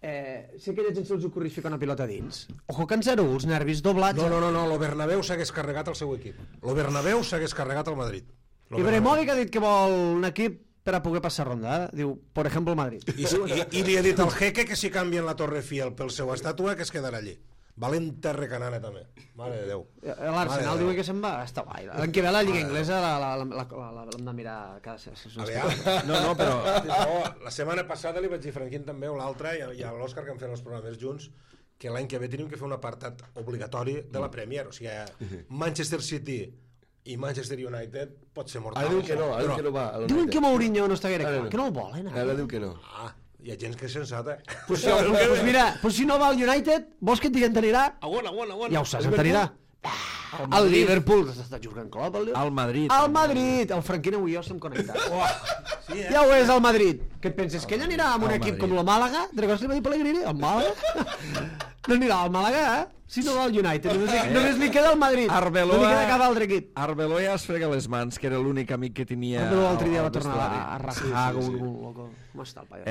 Si aquella gent se'ls ocorreix ficar una pilota dins. Ojo que en 0-1, els nervis doblats. No, lo Bernabéu s'hagués carregat el seu equip. Lo Bernabéu s'hagués carregat el Madrid. Ibrahimovic ha dit que vol un equip per a poder passar ronda. Diu, per exemple, el Madrid. I li ha dit al Jeque que si canvien la Torre Eiffel pel seu estàtua que es quedarà allí. Valenta recanana també. Mare de Déu. L'Arsenal diu que se'n va. Està guai. L'any que ve la Lliga Inglesa l'hem de mirar cada... No, però... La setmana passada li vaig dir a Franquín també, o l'altra, i a l'Òscar, que han fet els programes junts, que l'any que ve tenim que fer un apartat obligatori de la Premier. O sigui, Manchester City i Manchester United pot ser mortal. Ara diu que no va. Diuen que Mourinho no està gaire clar, que no el volen. Ara diu que no. Hi ha gent que és sensata. Pues mira, si no va al United, vols que et diguen t'anirà? Ja ho saps, t'anirà. El Liverpool està jugant Klopp, al Madrid. Al Madrid, el Franquín avui jo estem connectats. Ja ho és, al Madrid. Què et penses, que ell anirà amb un equip com el Màlaga? De records li va dir Pellegrini? El Màlaga? No anirà al Màlaga, si no va al United. Només li queda el Madrid. No li queda cap altre equip. Arbeloa ja es frega les mans, que era l'únic amic que tenia... Arbeloa l'altre dia va tornar a rajar com un loco. Com està el paio?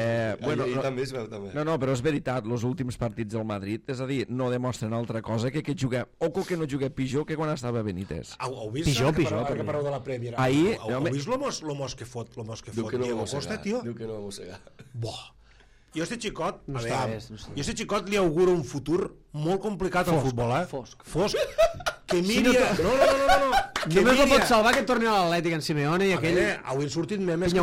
També es veu, també. No, però és veritat, els últims partits del Madrid, és a dir, no demostren altra cosa que jugar... Oco que no juga pitjor que quan estava Benítez. Heu vist? Pitjor. Que pareu de la Premier. Ahir... Heu vist lo mos que fot Diego Costa, tio? Diu que no va mossegar. Jo este xicot, jo este xicot li auguro un futur molt complicat al futbol, Fosc. Que Míria... No. Només el pot salvar que torni a l'Atlètic en Simeone i aquell... Avui han sortit memes que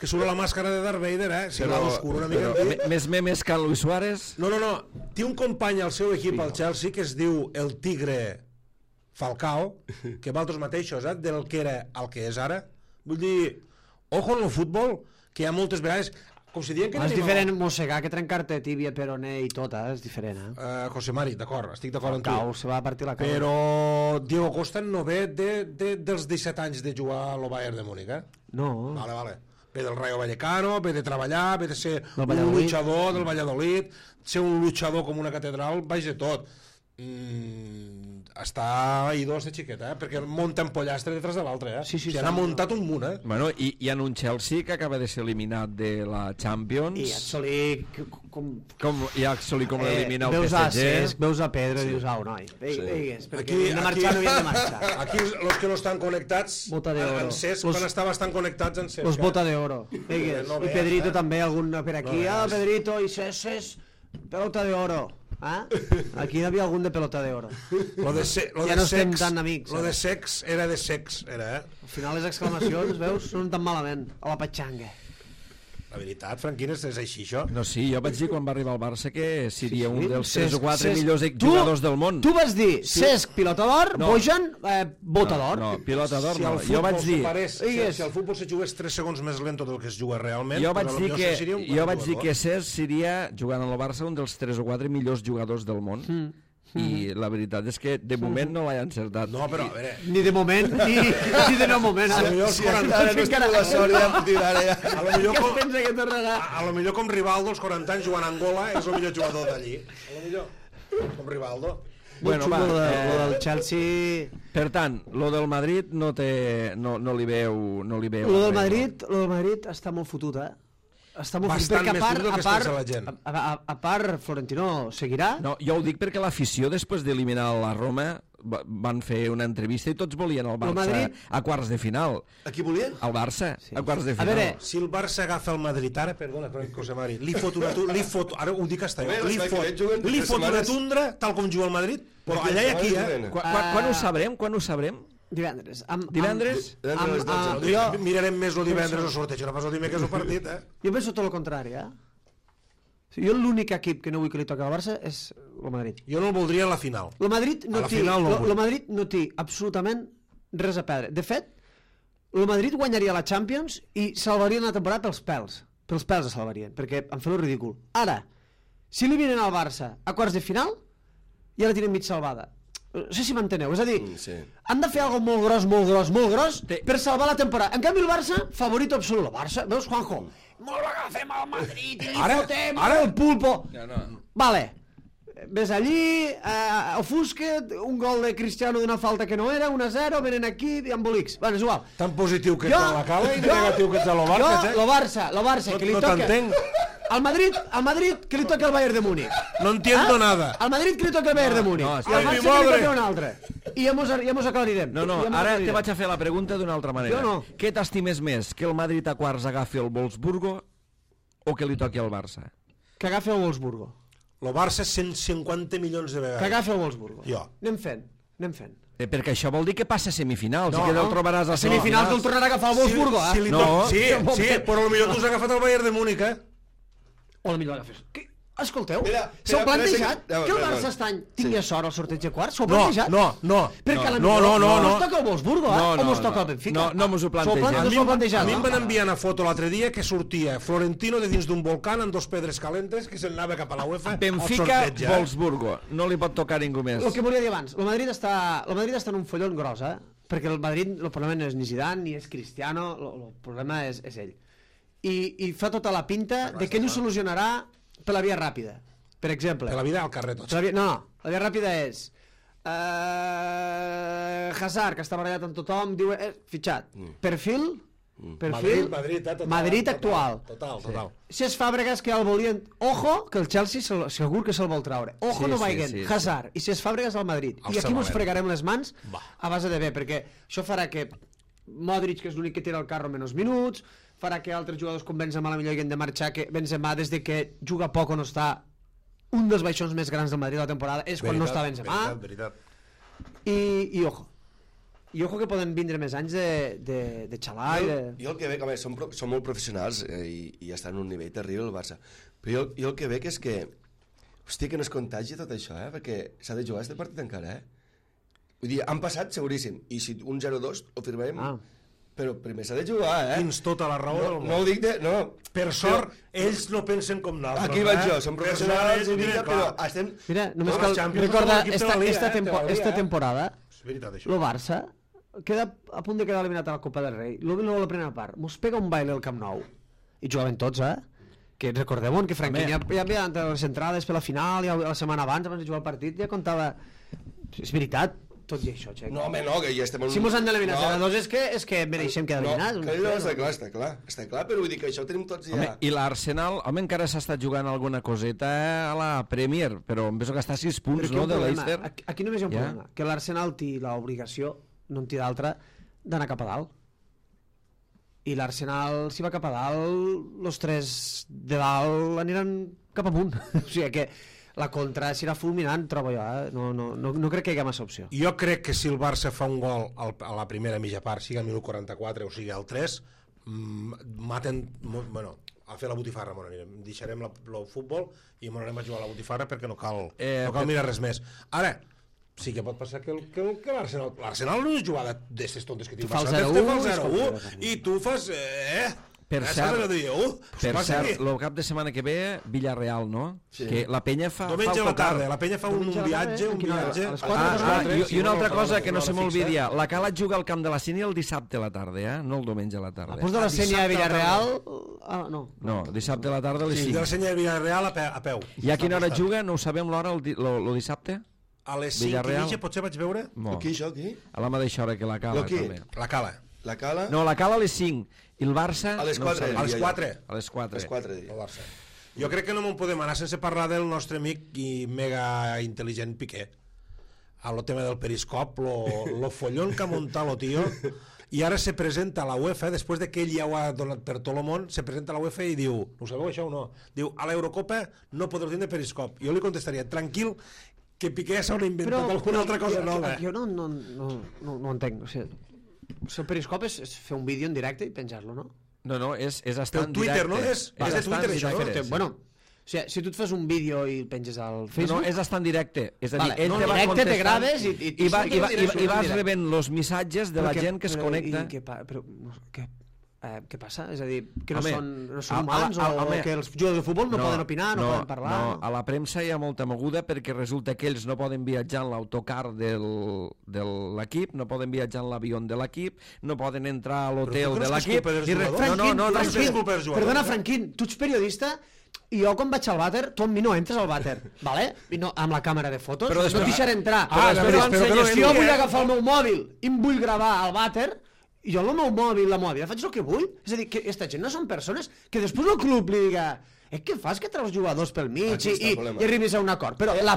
surt la màscara de Darth Vader, si l'ha d'oscuro una mica. Més memes que Luis Suárez? No. Té un company al seu equip, al Chelsea, que es diu el Tigre Falcao, que va altres mateixos, del que era el que és ara. Vull dir, ojo en el futbol, que hi ha moltes vegades... Com si diuen que és diferent mossegar que trencar-te tíbia, peroné i tot, és diferent, José Mari, d'acord, estic d'acord amb tu. Cau, se va partir la cara. Però Diego Costa no ve dels 17 anys de jugar a lo Bayern de Múnich, No. Vale. Ve del Rayo Vallecano, ve de treballar, ve de ser un luchador del Valladolid, ser un luchador com una catedral, baix de tot. Està idós de xiqueta, perquè munta en pollastre detrás de l'altre, Sí, n'ha muntat un munt, Bueno, i en un Chelsea que acaba de ser eliminat de la Champions. I Axoli... I Axoli com l'elimina el PSG. Veus a Pedro i dius, noi, veigues, perquè hem de marxar, no havien de marxar. Aquí los que no estan connectats, en Cesc, quan estava estan connectats en Cesc. Los bota de oro, veigues. I Pedrito també, algun per aquí. Pedrito i Cesc, pelota de oro. Aquí hi havia algun de pelota de oro. Ja no estem tan amics. Lo de sex era de sex, Al final les exclamacions, veus, són tan malament. A la patxanga. La veritat, Franquín, és així, això? No, sí, jo vaig dir quan va arribar al Barça que seria un dels 3 o 4 millors jugadors del món. Tu vas dir Cesc, pilota d'or, Bojan, bota d'or. No, pilota d'or no. Jo vaig dir... Si el futbol se jugués 3 segons més lento del que es juga realment... Jo vaig dir que Cesc seria, jugant al Barça, un dels 3 o 4 millors jugadors del món. I la veritat és que de moment no l'he encertat. No, però a veure... Ni de moment, ni de no moment. A lo millor com Rivaldo, als 40 anys jugant a Angola, és el millor jugador d'allí. A lo millor com Rivaldo. Bueno, va, lo del Chelsea... Per tant, lo del Madrid no li veu... Lo del Madrid està molt fotut, Està molt bastant més dur del que es pensa la gent. A part, Florentino seguirà? No, jo ho dic perquè l'afició, després d'eliminar la Roma, van fer una entrevista i tots volien el Barça a quarts de final. A qui volien? El Barça, a quarts de final. A veure, si el Barça agafa el Madrid ara, perdona, José Mari, li fot ara ho dic hasta jo, li fot una tundra, tal com juga el Madrid, però allà i aquí, Quan ho sabrem? Divendres. Mirarem més el divendres el sorteig, no pas el dimecres el partit, Jo penso tot el contrari, Jo l'únic equip que no vull que li toqui al Barça és el Madrid. Jo no el voldria a la final. El Madrid no té absolutament res a perdre. De fet, el Madrid guanyaria la Champions i salvaria una temporada pels pèls. Pels pèls es salvarien, perquè em fa el ridícul. Ara, si eliminen el Barça a quarts de final, ja la tenen mig salvada. No sé si m'enteneu. És a dir, Sí. han de fer alguna molt gros, per salvar la temporada. En canvi, el Barça, favorit absolut. El Barça, veus, Juanjo? Molt agafem al Madrid i li fotem el pulpo. Vale. Ves allí, ofusquet, un gol de Cristiano d'una falta que no era, 1-0, venen aquí i embolics. Bueno, és igual. Tan positiu que ets a la Cala i negatiu que ets a lo Barça, lo Barça, que li no toca... t'entenc. Al Madrid, que li toca el Bayern de Múnich. No entiendo nada. Al Madrid, que li toca el Bayern de Múnich. I al Barça, que li toca un altre. I ja mos aclarirem. No, ara te vaig a fer la pregunta d'una altra manera. Jo no. Què t'estimes més, que el Madrid a quarts agafi el Wolfsburgo o que li toqui al Barça? Que agafi el Wolfsburgo. El Barça 150 milions de vegades. Que agafi el Wolfsburgo. Jo. Anem fent. Perquè això vol dir que passa a semifinals i que te'l trobaràs a semifinals te'l tornarà a agafar el Wolfsburgo, Sí, però potser tu has agafat el Bayern de Múnich, O potser l'agafes. Escolteu, Mira, s'ho mira, plantejat mira, que el mira, Barça mira. estany tingui sort al sorteig de quarts? S'ho No, plantejat? no. Perquè No, mos toca el Wolfsburgo, o mos toca el Benfica? No mos ho plantegem. No s'ho plantejat. A mi em van enviar una foto l'altre dia que sortia Florentino de dins d'un volcán amb 2 pedres calentes que se'n anava cap a la UEFA Benfica, Wolfsburgo. No li pot tocar ningú més. El que volia dir abans, el Madrid està en un follon gros, perquè el Madrid, el problema no és ni Zidane ni és Cristiano, el problema és ell. I fa tota la pinta de que no solucionarà per la via ràpida. Per exemple... Per la vida al carrer tots. La via ràpida és... Hazard, que està barallat amb tothom, diu... fitxat. Perfil... Madrid actual. Total. Si és Fàbregas, que el volien... Ojo, que el Chelsea segur que se'l vol traure. Ojo, no vaiguen. Hazard. I si és Fàbregas, el Madrid. I aquí mos fregarem les mans a base de bé, perquè això farà que Modric, que és l'únic que tira el carro menys minuts, farà que altres jugadors com Benzema la millor hagin de marxar, que Benzema, des de que juga poc o no està, un dels baixons més grans del Madrid de la temporada és quan no està Benzema. Veritat. I ojo. I ojo que poden vindre més anys de xalar. Jo el que veig, home, són molt professionals i estan en un nivell terrible el Barça, però jo el que veig és que hòstia, que no es contagi tot això, perquè s'ha de jugar este partit encara, vull dir, han passat seguríssim, i si un 0-2 ho firmem, però primer s'ha de jugar, Tens tota la raó del món. No ho dic de... No. Per sort, ells no pensen com nosaltres. Aquí vaig jo, som professionals, però estem... Mira, només cal recordar esta temporada, el Barça queda a punt de quedar eliminat a la Copa del Rei. La primera part, mos pega un baile al Camp Nou. I jugaven tots, que recordeu que Franquín ja havia les entrades per la final, ja la setmana abans de jugar el partit, ja contava... És veritat, tot i això, Xec. No, home, no, que ja estem... Si mos han d'eliminar a dos és que mereixem quedar eliminats. No, està clar, però vull dir que això ho tenim tots ja. Home, i l'Arsenal, encara s'ha estat jugant alguna coseta a la Premier, però em penso que està a 6 punts, no, de l'Eister. Aquí només hi ha un problema, que l'Arsenal té l'obligació, no en té d'altra, d'anar cap a dalt. I l'Arsenal, si va cap a dalt, els 3 de dalt aniran cap amunt. O sigui que la contra serà fulminant, trobo jo, no crec que hi hagi massa opció. Jo crec que si el Barça fa un gol a la primera mitja part, sigui al minut 44 o sigui al 3, maten... Bueno, a fer la botifarra, deixarem el futbol i m'anarem a jugar a la botifarra perquè no cal mirar res més. Ara, sí que pot passar que l'Arsenal no és jugada d'aquestes tontes que tinc. Tu fas el 0-1 i tu fas... Per cert, el cap de setmana que ve, Villarreal, no? Sí. Que la penya fa... Diumenge a la tarda, la penya fa un viatge. I una altra cosa que no se m'olvidi, la Cala juga al camp de la Sénia el dissabte a la tarda, no el diumenge a la tarda. Després de la Sénia de Villarreal... No, dissabte a la tarda a les 5. Sí, de la Sénia de Villarreal a peu. I a quina hora juga? No ho sabem l'hora el dissabte? A les 5:30 potser vaig veure... Aquí, això, aquí? A la mateixa hora que la Cala, també. La Cala. La Cala? No, la Cala a les 5. I el Barça... A les 4. A les 4. A les 4. El Barça. Jo crec que no me'n podem anar sense parlar del nostre amic i mega intel·ligent Piqué. A lo tema del periscop, lo follón que ha muntat lo tío, i ara se presenta a la UEFA, després de que ell ja ho ha donat per tot el món, se presenta a la UEFA i diu, no sabeu això o no? Diu, a l'Eurocopa no podreu tindre periscop. Jo li contestaria, tranquil, que Piqué s'haurà inventat alguna altra cosa nova. Jo no entenc, o sigui... El periscop és fer un vídeo en directe i penjar-lo, no? No, és estar en directe. Twitter, no? És de Twitter, això. Bueno, o sigui, si tu et fas un vídeo i el penges al Facebook... No, és estar en directe. És a dir, ell te va contestant... te graves i vas rebent els missatges de la gent que es connecta. Però, què? què passa? És a dir, que no Home, són humans o que els jugadors de futbol no poden opinar, no poden parlar? No, a la premsa hi ha molta moguda perquè resulta que ells no poden viatjar en l'autocar de l'equip, no poden viatjar en l'avió de l'equip, no poden entrar a l'hotel de l'equip... Perdona, Franquín, tu ets periodista i jo quan vaig al vàter, tu amb mi no entres al vàter, vale? I no, amb la càmera de fotos, no et deixaré entrar. Però si jo vull agafar el meu mòbil i em vull gravar al vàter, i jo amb el meu mòbil, la meva vida, faig el que vull. És a dir, que aquesta gent no són persones que després el club li diga què fas que treus jugadors pel mig i arribis a un acord. Però la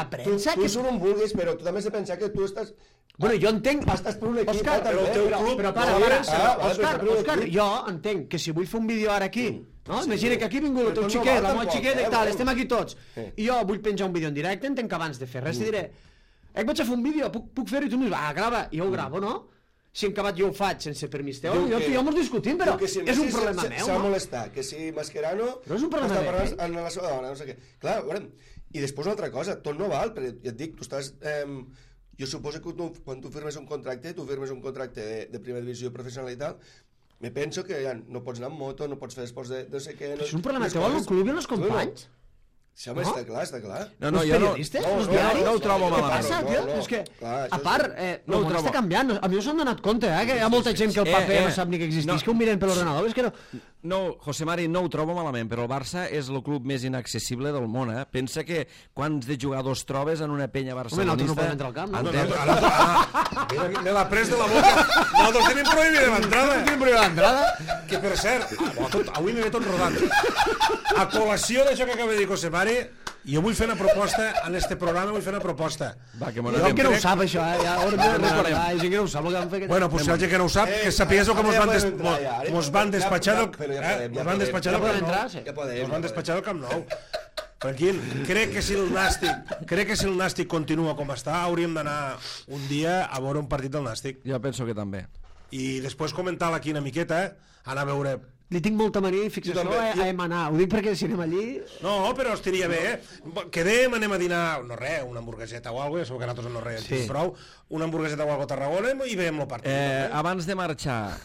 premsa... Tu són on vulguis, però tu també has de pensar que tu estàs... Bueno, jo entenc... Estàs per un equip, Òscar, però el teu club... Però para, Òscar, jo entenc que si vull fer un vídeo ara aquí, no? Imagina que aquí ha vingut el teu xiquet, la meva xiqueta i tal, estem aquí tots, i jo vull penjar un vídeo en directe, entenc que abans de fer res te diré vaig a fer un vídeo, puc fer-ho? I tu em dius, grava, i jo ho gravo, no? Si en acabat jo ho faig sense permís teu, jo mos discutim, però és un problema meu. S'ha molestat, que si Mascherano però és un problema meu. Està parlant amb la seva dona, no sé què. Clar, veurem. I després una altra cosa, tot no val, perquè ja et dic, tu estàs... Jo suposo que quan tu firmes un contracte, de primera divisió professional i tal, me penso que ja no pots anar amb moto, no pots fer esports de no sé què... És un problema teu al club i els companys? Sí, home, està clar. No, jo no ho trobo malament. Què passa, tio? És que, a part, el món està canviant. A mi us han donat compte, que hi ha molta gent que el paper no sap ni que existeix, que ho miren per l'ordenador, és que no... No, José Mari, no ho trobo malament, però el Barça és el club més inaccessible del món, eh? Pensa que quants de jugadors trobes en una penya barcelonista... Home, nosaltres no podem entrar al camp, no? Me l'ha pres de la boca. Nosaltres tenim prohibida l'entrada. Que, per cert, avui m'he tot rodant. A col·lació d'això que acaba de dir José Mari, jo vull fer una proposta en este programa, Va, que jo que no ho sap, això, ja ho hem de recordar, i gent que no ho sap el que van fer... Bueno, pues si hi ha gent que no ho sap, que sapigués que mos van despatxar del... Nos van despatxar del Camp Nou. Tranquil, crec que si el Nàstic continua com està, hauríem d'anar un dia a veure un partit del Nàstic. Jo penso que també. I després comentar-la aquí una miqueta, anar a veure... Li tinc molta mania i fixació a emanar. Ho dic perquè si anem allí... No, però estaria bé, Quedem, anem a dinar, no res, una hamburgueseta o alguna cosa, ja sabeu que nosaltres no res, prou, una hamburgueseta o alguna cosa a Tarragona i veiem el partit. Abans de marxar...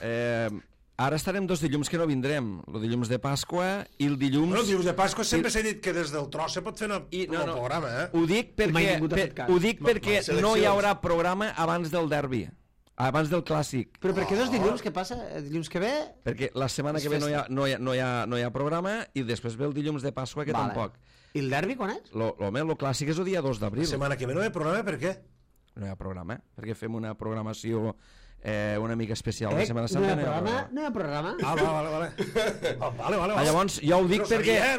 Ara estarem 2 dilluns que no vindrem, el dilluns de Pasqua i el dilluns... Bueno, el dilluns de Pasqua sempre s'ha dit que des del tros se pot fer un programa, Ho dic perquè no hi haurà programa abans del derbi, abans del clàssic. Però per què 2 dilluns? Què passa? Dilluns que ve? Perquè la setmana que ve no hi ha programa i després ve el dilluns de Pasqua, que tampoc. I el derbi quan és? El clàssic és el dia 2 d'abril. La setmana que ve no hi ha programa, per què? No hi ha programa, perquè fem una programació... una mica especial la Setmana Santa. No hi ha programa. Vale. Llavors jo ho dic perquè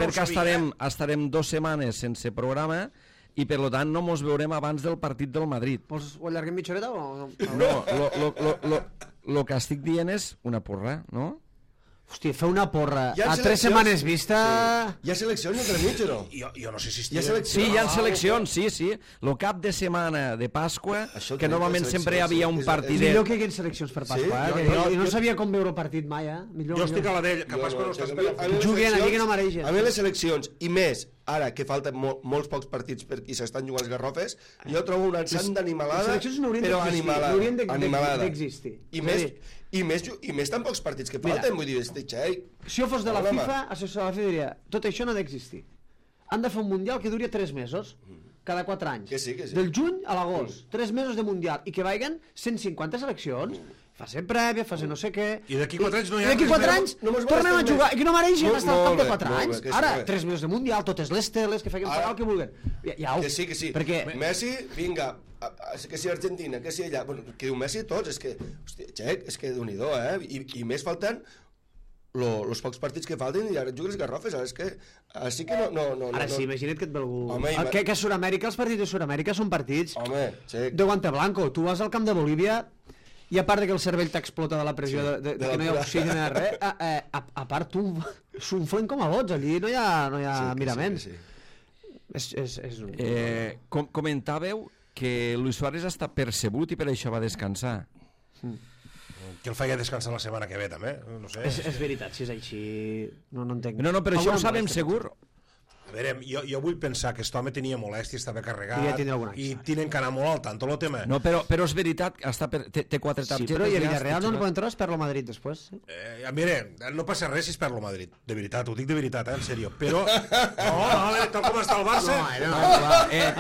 estarem 2 setmanes sense programa i per tant no mos veurem abans del partit del Madrid. Vols ho allarguem mitja horeta o no? No, el que estic dient és una porra, no? Hòstia, fer una porra a 3 setmanes vista... Hi ha seleccions entre mig o no? Jo no sé si hi ha seleccions, sí. El cap de setmana de Pasqua, que normalment sempre hi havia un partidet... Millor que hi hagués seleccions per Pasqua, jo no sabia com veure partit mai, Jo estic a la d'ell, que Pasqua no estàs per... Juguen allí que no mereixen. A mi les seleccions, i més, ara que falten molts pocs partits i s'estan jugant els garrofes, jo trobo una ensant d'animalada, però animalada. D'existir. I més tan pocs partits que falten, vull dir, si jo fos de la FIFA, assessor de la FIFA diria, tot això no ha d'existir. Han de fer un mundial que duri 3 mesos, cada 4 anys. Que sí. Del juny a l'agost, 3 mesos de mundial, i que vagin 150 seleccions, fase prèvia, fase no sé què... I d'aquí 4 anys no hi ha... I d'aquí 4 anys tornem a jugar, i que no mereixen estar al cap de 4 anys. Ara, 3 mesos de mundial, totes les teles, que feien pagar el que vulguin. Que sí. Messi, vinga, que si Argentina, que si allà... Que diu Messi tots, és que... Hòstia, Xec, és que Déu-n'hi-do, I més falten els pocs partits que falten i ara juguen les garrofes, ara és que... Així que no... Ara sí, imagina't que et ve algú... Que a Sud-amèrica, els partits de Sud-amèrica són partits de guante blanco. Tu vas al camp de Bolívia i a part que el cervell t'explota de la pressió de que no hi ha oxigen ni res, a part tu s'unflen com a bots, allí no hi ha miraments. Comentàveu que Luis Suárez està percebut i per això va descansar. Que el feia descansar la setmana que ve també, no sé. És veritat, si és així no entenc. No, però això ho sabem segur. A veure, jo vull pensar que aquest home tenia molèstia, estava carregat i tenen que anar molt al tanto el tema. No, però és veritat, té 4 targetes. Sí, però i a Villarreal no poden trobar, es perd el Madrid després. Mira, no passa res si es perd el Madrid, de veritat, ho dic de veritat, en sèrio. Però, no, tal com està el Barça...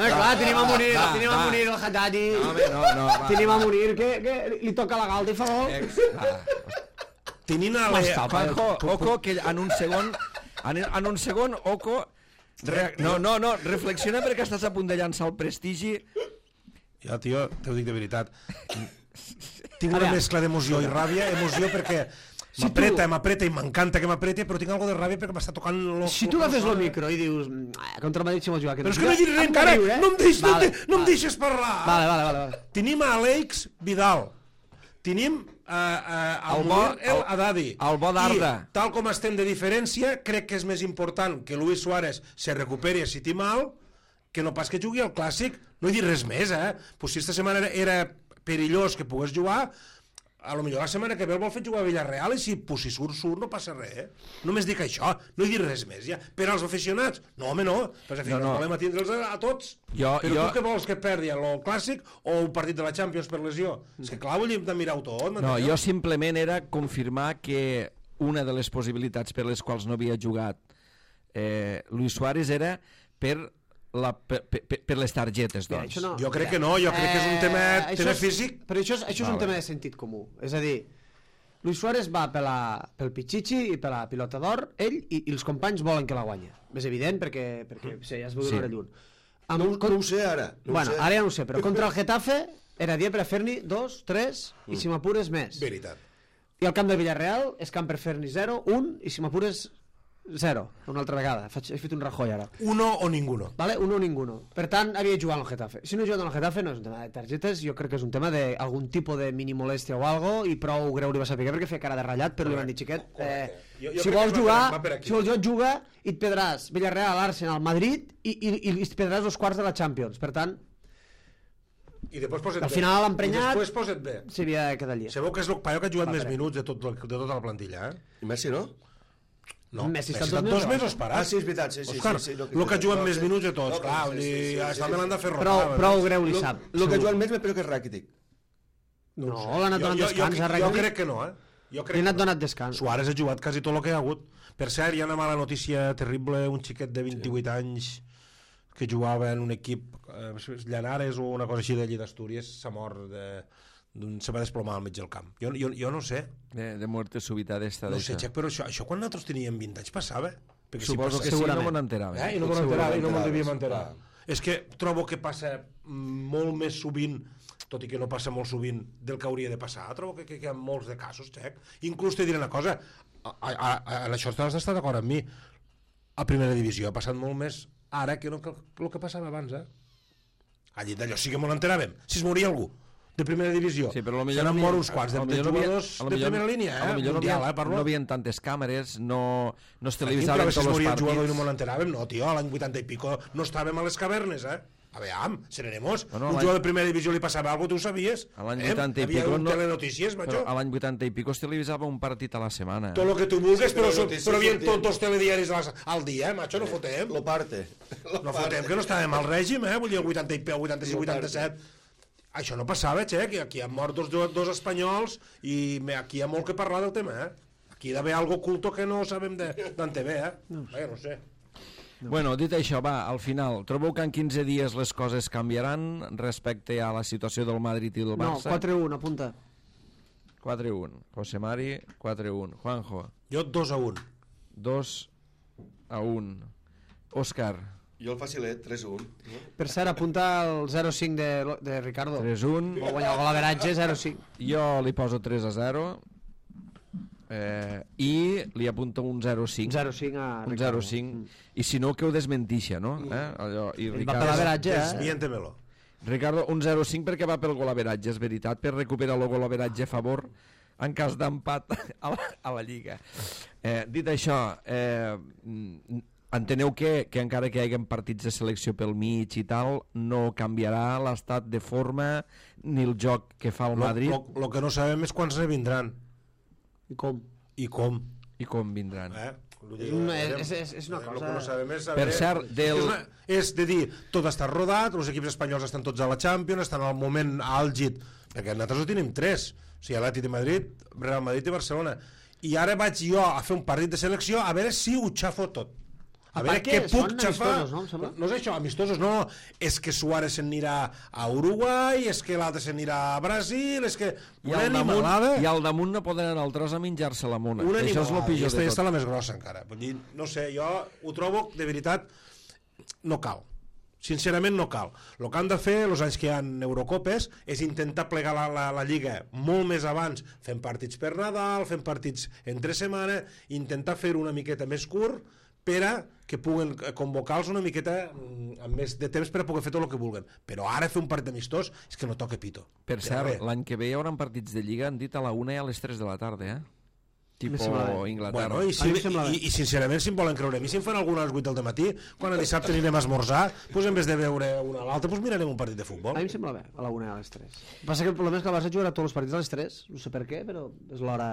Clar, tenim a Munir el Haddadi, tenim a Munir que li toca la galta i fa gol. Tenim a Oco, que en un segon, Oco... No, reflexiona perquè estàs a punt de llançar el prestigi. Jo, tio, t'ho dic de veritat. Tinc una mescla d'emoció i ràbia, emoció perquè m'apreta i m'encanta que m'apreti, però tinc alguna de ràbia perquè m'està tocant... Si tu agafes el micro i dius contra el Madrid si vol jugar... Però és que no he dit res encara, no em deixes parlar. Vale. Tenim a Àlex Vidal, tenim el Haddadi, el bo d'Arda, i tal com estem de diferència, crec que és més important que Luis Suárez se recuperi a City mal que no pas que jugui al Clàssic. No he dit res més, pues si esta setmana era perillós que pogués jugar, a lo millor la setmana que ve el vol fer jugar a Villarreal i si surt, no passa res. Només dic això, no he dit res més ja. Per als aficionats, no home no, però volem atindre'ls a tots. Però tu què vols, que perdi el Clàssic o un partit de la Champions per lesió? És que clar, vull mirar-ho tot. No, jo simplement era confirmar que una de les possibilitats per les quals no havia jugat Luis Suárez era per les targetes, doncs. Jo crec que no, jo crec que és un tema físic. Però això és un tema de sentit comú. És a dir, Luis Suárez va pel Pichichi i per la pilota d'or, ell i els companys volen que la guanya. És evident perquè ja es veu d'una hora lluny. No ho sé ara. Bueno, ara ja no ho sé, però contra el Getafe era dia per a fer-n'hi 2, 3 i si m'apures més. Veritat. I al camp del Villarreal és camp per fer-n'hi 0, 1 i si m'apures 0, una altra vegada. He fet un Rajoy ara. Uno o ninguno. Vale? Uno o ninguno. Per tant, havia jugat al Getafe. Si no he jugat al Getafe no és un tema de targetes, jo crec que és un tema d'algun tipus de mini molèstia o algo i prou greu li va saber perquè feia cara de ratllat, però li van dir, xiquet, si vols jugar, juga i et pedràs Villarreal, Arsenal, Madrid i et pedràs els quarts de la Champions. Per tant, i després posa't al final l'emprenyat i després posa't bé. S'havia de quedar allà. Sabeu que és el paio que ha jugat més minuts de tota la plantilla, I Messi no? No, Messi està 2 mesos parat. Sí, és veritat, sí. El que ha jugat més minuts de tots, clar, està me l'han de fer rotar. Prou greu li sap. El que ha jugat més, però que és Rakitic. No, l'han donat descans a Rakitic. Jo crec que no, Li han donat descans. Suárez ha jugat quasi tot el que hi ha hagut. Per cert, hi ha una mala notícia terrible, un xiquet de 28 anys que jugava en un equip Llanares o una cosa així d'allí d'Astúries, s'ha mort se va desplomar al mig del camp. Jo no sé. De muerte súbita d'esta. No sé, Xec, però això quan nosaltres teníem 20 anys passava? Suposo que sí, no me'n enterava. I no me'n devíem enterar. És que trobo que passa molt més sovint, tot i que no passa molt sovint del que hauria de passar. Trobo que hi ha molts de casos, Xec. Inclús te diré una cosa, en això has d'estar d'acord amb mi. A primera divisió ha passat molt més ara que el que passava abans, Allí d'allò sí que m'ho enteràvem. Si es moria algú de primera divisió, sí, però se n'han mort uns quants de jugadors de primera línia, mundial, parlo. No havien tantes càmeres, no es televisaven tots els partits. Si es moria el jugador i no m'ho enteràvem, no, tio, l'any 80 i pico no estàvem a les cavernes, Aveam, seremos. Un jugador de primera divisió li passava alguna cosa, tu ho sabies? A l'any 80 i pico... Havia un telenotícies, macho. A l'any 80 i pico es televisava un partit a la setmana. Tot el que tu vulguis, però havien tots els telediaris al dia, macho, no fotem. Lo parte. No fotem, que no estàvem al règim, vull dir, el 80 i pico, 86, 87... Això no passava, Xec, aquí han mort dos espanyols i aquí hi ha molt que parlar del tema, Aquí hi ha d'haver algo oculto que no sabem d'on te ve, no sé. Bueno, dit això, va, al final, trobeu que en 15 dies les coses canviaran respecte a la situació del Madrid i del Barça? No, 4-1, apunta. 4-1. José Mari, 4-1. Juanjo. Jo 2-1. 2-1. Òscar. Jo el facilet, 3-1. Per cert, apunta el 0-5 de Ricardo. 3-1. Vol guanyar el golaveratge, 0-5. Jo li poso 3-0. I li apunta un 0-5. 0-5 a Ricardo. Un 0-5. I si no, que ho desmentixa, no? Allò, i Ricardo... Va per l'averatge, Desmiéntemelo. Ricardo, un 0-5 perquè va pel golaveratge, és veritat, per recuperar el golaveratge a favor en cas d'empat a la Lliga. Dit això, enteneu que encara que hi hagi partits de selecció pel mig i tal, no canviarà l'estat de forma ni el joc que fa el Madrid? Lo que no sabem és quants ne vindran. I com? I com vindran. És una cosa... No sabem és Per cert, és de dir, tot està rodat, els equips espanyols estan tots a la Champions, estan al moment àlgid, perquè nosaltres ho tenim 3, o sigui, Atlètic de Madrid, Real Madrid i Barcelona, i ara vaig jo a fer un partit de selecció a veure si ho xafo tot. A veure què puc xafar. No és això, amistosos, no. És que Suárez se'n anirà a Uruguai, és que l'altre se'n anirà a Brasil, és que... I al damunt no poden anar al tros a menjar-se la mona. Això és el pitjor de tot. Aquesta és la més grossa encara. Vull dir, no sé, jo ho trobo, de veritat, no cal. Sincerament no cal. El que han de fer els anys que hi ha Eurocopes és intentar plegar la Lliga molt més abans, fent partits per Nadal, fent partits entre setmana, intentar fer-ho una miqueta més curt per a que puguen convocar-los una miqueta amb més de temps per a poder fer tot el que vulguen. Però ara fer un partit amistós és que no toca pito. Per cert, l'any que ve hi haurà partits de Lliga, han dit a la 1 i a les 3 de la tarda, Tipo Inglaterra. Bueno, i sincerament, si em volen creure a mi, si em fan alguna a les 8 del matí, quan el dissabte anirem a esmorzar, doncs en vez de veure una a l'altra, doncs mirarem un partit de futbol. A mi em sembla bé, a la 1 i a les 3. Passa que el problema és que el Barça jugarà tots els partits a les 3, no sé per què, però és l'hora...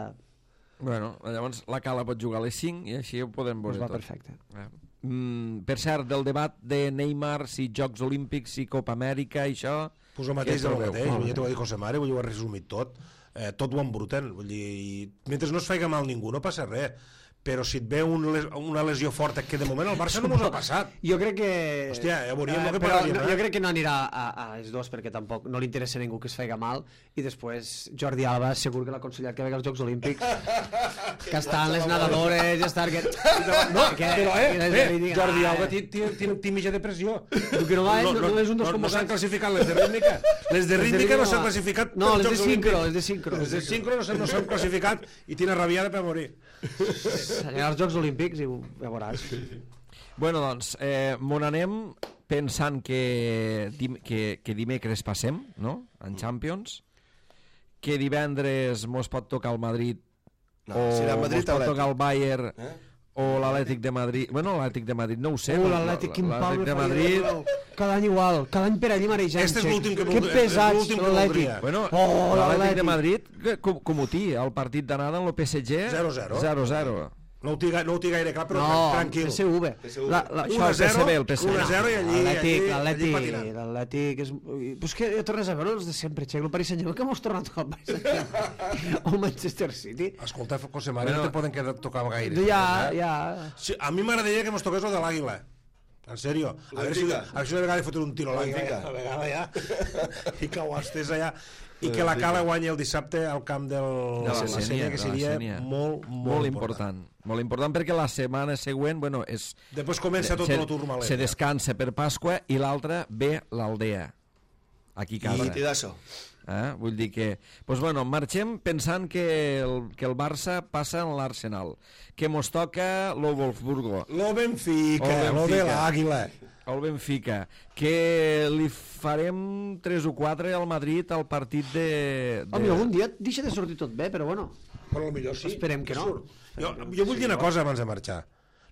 Bueno, llavors la Cala pot jugar a les 5 i així ho podem veure tot. Perfecte. Per cert, del debat de Neymar, si Jocs Olímpics, si Copa Amèrica, això... Pues el mateix del mateix, ja t'ho va dir José Mare, ho ha resumit tot. Tot ho embruten, vull dir, mentre no es faci mal ningú no passa res, però si et ve una lesió forta, que de moment el Barça no mos ha passat. Jo crec que... Hòstia, ja veuríem el que però pararíem. Jo crec que no anirà a les dues perquè tampoc no li interessa a ningú que es faci mal, i després Jordi Alba segur que l'ha aconsellat que vegi als Jocs Olímpics, que estan les nedadores i estar... No, però Jordi Alba té mitja depressió. Que no és un dels convocants. No s'han classificat les de rítmica. Les de rítmica no s'han classificat. No, les de sincro. Les de sincro no s'han classificat i tiene rabiada per morir. Anirà als Jocs Olímpics i ja veuràs. Bueno, doncs, m'on anem pensant que dimecres passem, no?, en Champions, que divendres mos pot tocar el Madrid, o mos pot tocar el Bayern, o l'Atlètic de Madrid. Bueno, l'Atlètic de Madrid no ho sé. L'Atlètic de Madrid... Cada any igual, cada any per allí marejant. Este és l'últim que pesats, l'Atlètic. Bueno, l'Atlètic de Madrid, com ho té, el partit d'anada en el PSG... 0-0. 0-0. No ho té gaire clar, però tranquil. PSV. Això és PSV, el PSV. 1-0 i l'Atlètic és... Pues que tornes a veure els de sempre, Xec, el Paris Saint-Germain, que mos torna a tocar el Paris Saint-Germain o el Manchester City. Escolta, José María, no te poden tocar gaire. Ja. A mi m'agradaria que mos toqués el de l'Àguila. En sèrio, a veure si una vegada fotre un tiro a l'Àguila, a vegada ja, i que ho estés allà, i que la Cala guanyi el dissabte al camp de la Sénia, que seria molt important. Molt important perquè la setmana següent, bueno, és... Després comença tot el turmalet. Se descansa per Pasqua i l'altra ve l'Aldea, aquí a casa. Nitidasso. Vull dir que... Doncs bueno, marxem pensant que el Barça passa en l'Arsenal, que mos toca lo Wolfsburgo, lo Benfica, lo de l'Àguila, el Benfica, que li farem 3 o 4 al Madrid al partit de... Home, algun dia deixa de sortir tot bé, però bueno, però millor sí. Esperem que no. Jo vull dir una cosa abans de marxar.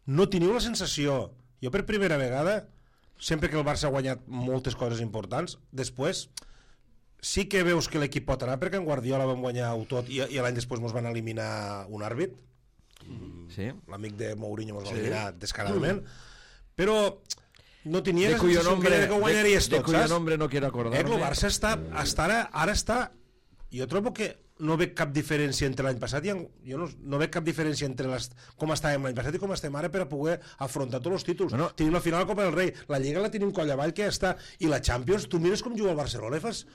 No teniu la sensació, jo per primera vegada, sempre que el Barça ha guanyat moltes coses importants, després sí que veus que l'equip pot anar, perquè en Guardiola vam guanyar-ho tot i l'any després ens van eliminar un àrbit. Sí. L'amic de Mourinho ens va eliminar descaradament. Però no tenia de cuyo nombre que guanyaries tot, de cuyo nombre no quiero acordarme. El Barça ara està... Jo trobo que no veig cap diferència entre l'any passat i jo no veig cap diferència entre com estàvem l'any passat i com estem ara per a poder afrontar tots els títols. Bueno, tenim la final de la Copa del Rei, la Lliga la tenim coll avall que ja està, i la Champions, tu mires com juga el Barcelona i fas...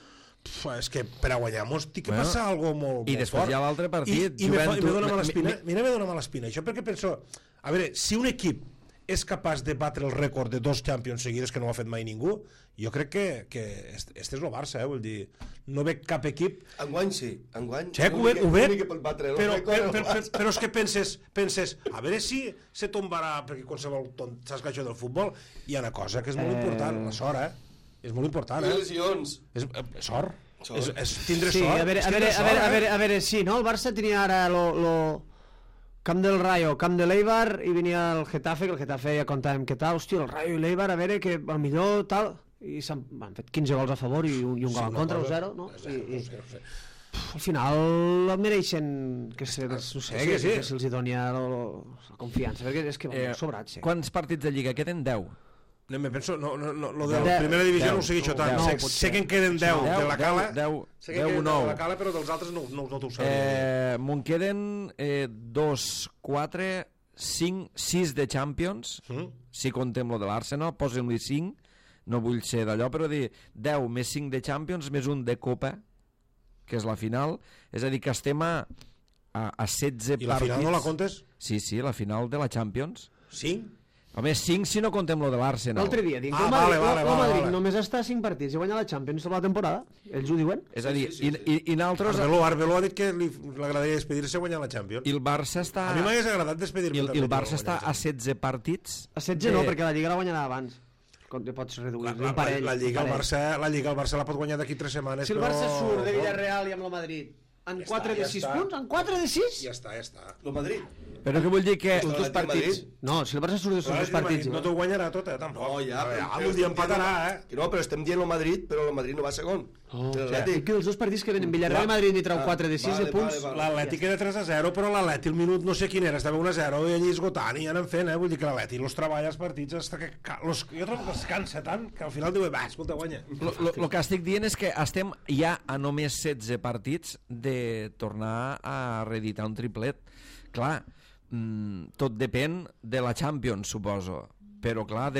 és que per a guanyar-nos té que passar algo molt i després fort. Hi ha l'altre partit i me dóna mala espina. Mira, me dóna mala espina això, perquè penso, a veure, si un equip és capaç de batre el rècord de 2 Champions seguides que no ho ha fet mai ningú, jo crec que este és el Barça, vull dir, no veig cap equip... Enguany sí, enguany... Xec, ho veig, però és que penses, a veure si se tombarà, perquè qualsevol saps que això del futbol, hi ha una cosa que és molt important, la sort, és molt important, lesions. Sort. És tindre sí, sort. A veure, sí, no? El Barça tenia ara Camp del Rayo, Camp de l'Eibar, i venia el Getafe, que el Getafe ja contàvem què tal, hòstia, el Rayo i l'Eibar, a veure, que al millor tal, i han fet 15 gols a favor i un gol en contra, o 0, no? al final el mereixen que se'ls doni la confiança, perquè és que van sobrats. Quants partits de Lliga queden? 10. No, me penso, lo de la primera divisió no ho segueixo tant. Sé que en queden 10 de la Cala. 10 o 9. De la Cala, però dels altres no t'ho sabia. Me'n queden 2, 4, 5, 6 de Champions, si contem lo de l'Arsenal, posem-li 5, no vull ser d'allò, però dir 10 més 5 de Champions, més un de Copa, que és la final, és a dir, que estem a 16 partits. I la final no la comptes? Sí, la final de la Champions. 5? Home, 5 si no contem lo de l'Arsenal. L'altre dia dic que el Madrid només està a 5 partits i guanya la Champions tota la temporada. Ells ho diuen. És a dir, i naltros... Arbeloa ha dit que li agradaria despedir-se guanyant la Champions. I el Barça està... A mi m'hagués agradat despedir-me. I el Barça està a 16 partits. A 16 no, perquè la Lliga la guanyarà abans. Com te pots reduir un parell. La Lliga el Barça la pot guanyar d'aquí 3 setmanes. Si el Barça surt de Villarreal i amb el Madrid en 4 de 6 punts, en 4 de 6? Ja està. El Madrid. Però què vull dir que... Els dos partits... No, si el Barça surt dels dos partits... No t'ho guanyarà tot, tampoc. No, ja, un dia empatarà, No, però estem dient el Madrid, però el Madrid no va segon. Dic que els dos partits que venen Villarreal i Madrid n'hi trau 4 de 6 de punts... L'Atlètic era 3-0, però l'Atlètic el minut no sé quin era, estava 1-0 i allí esgotant i anen fent, vull dir que l'Atlètic els treballa els partits hasta que... Jo trobo que es cansa tant que al final diu, va, escolta, guanya. El que estic dient és que estem ja a només 16 partits de tornar a reeditar un triplet. Clar, tot depèn de la Champions, suposo, però clar,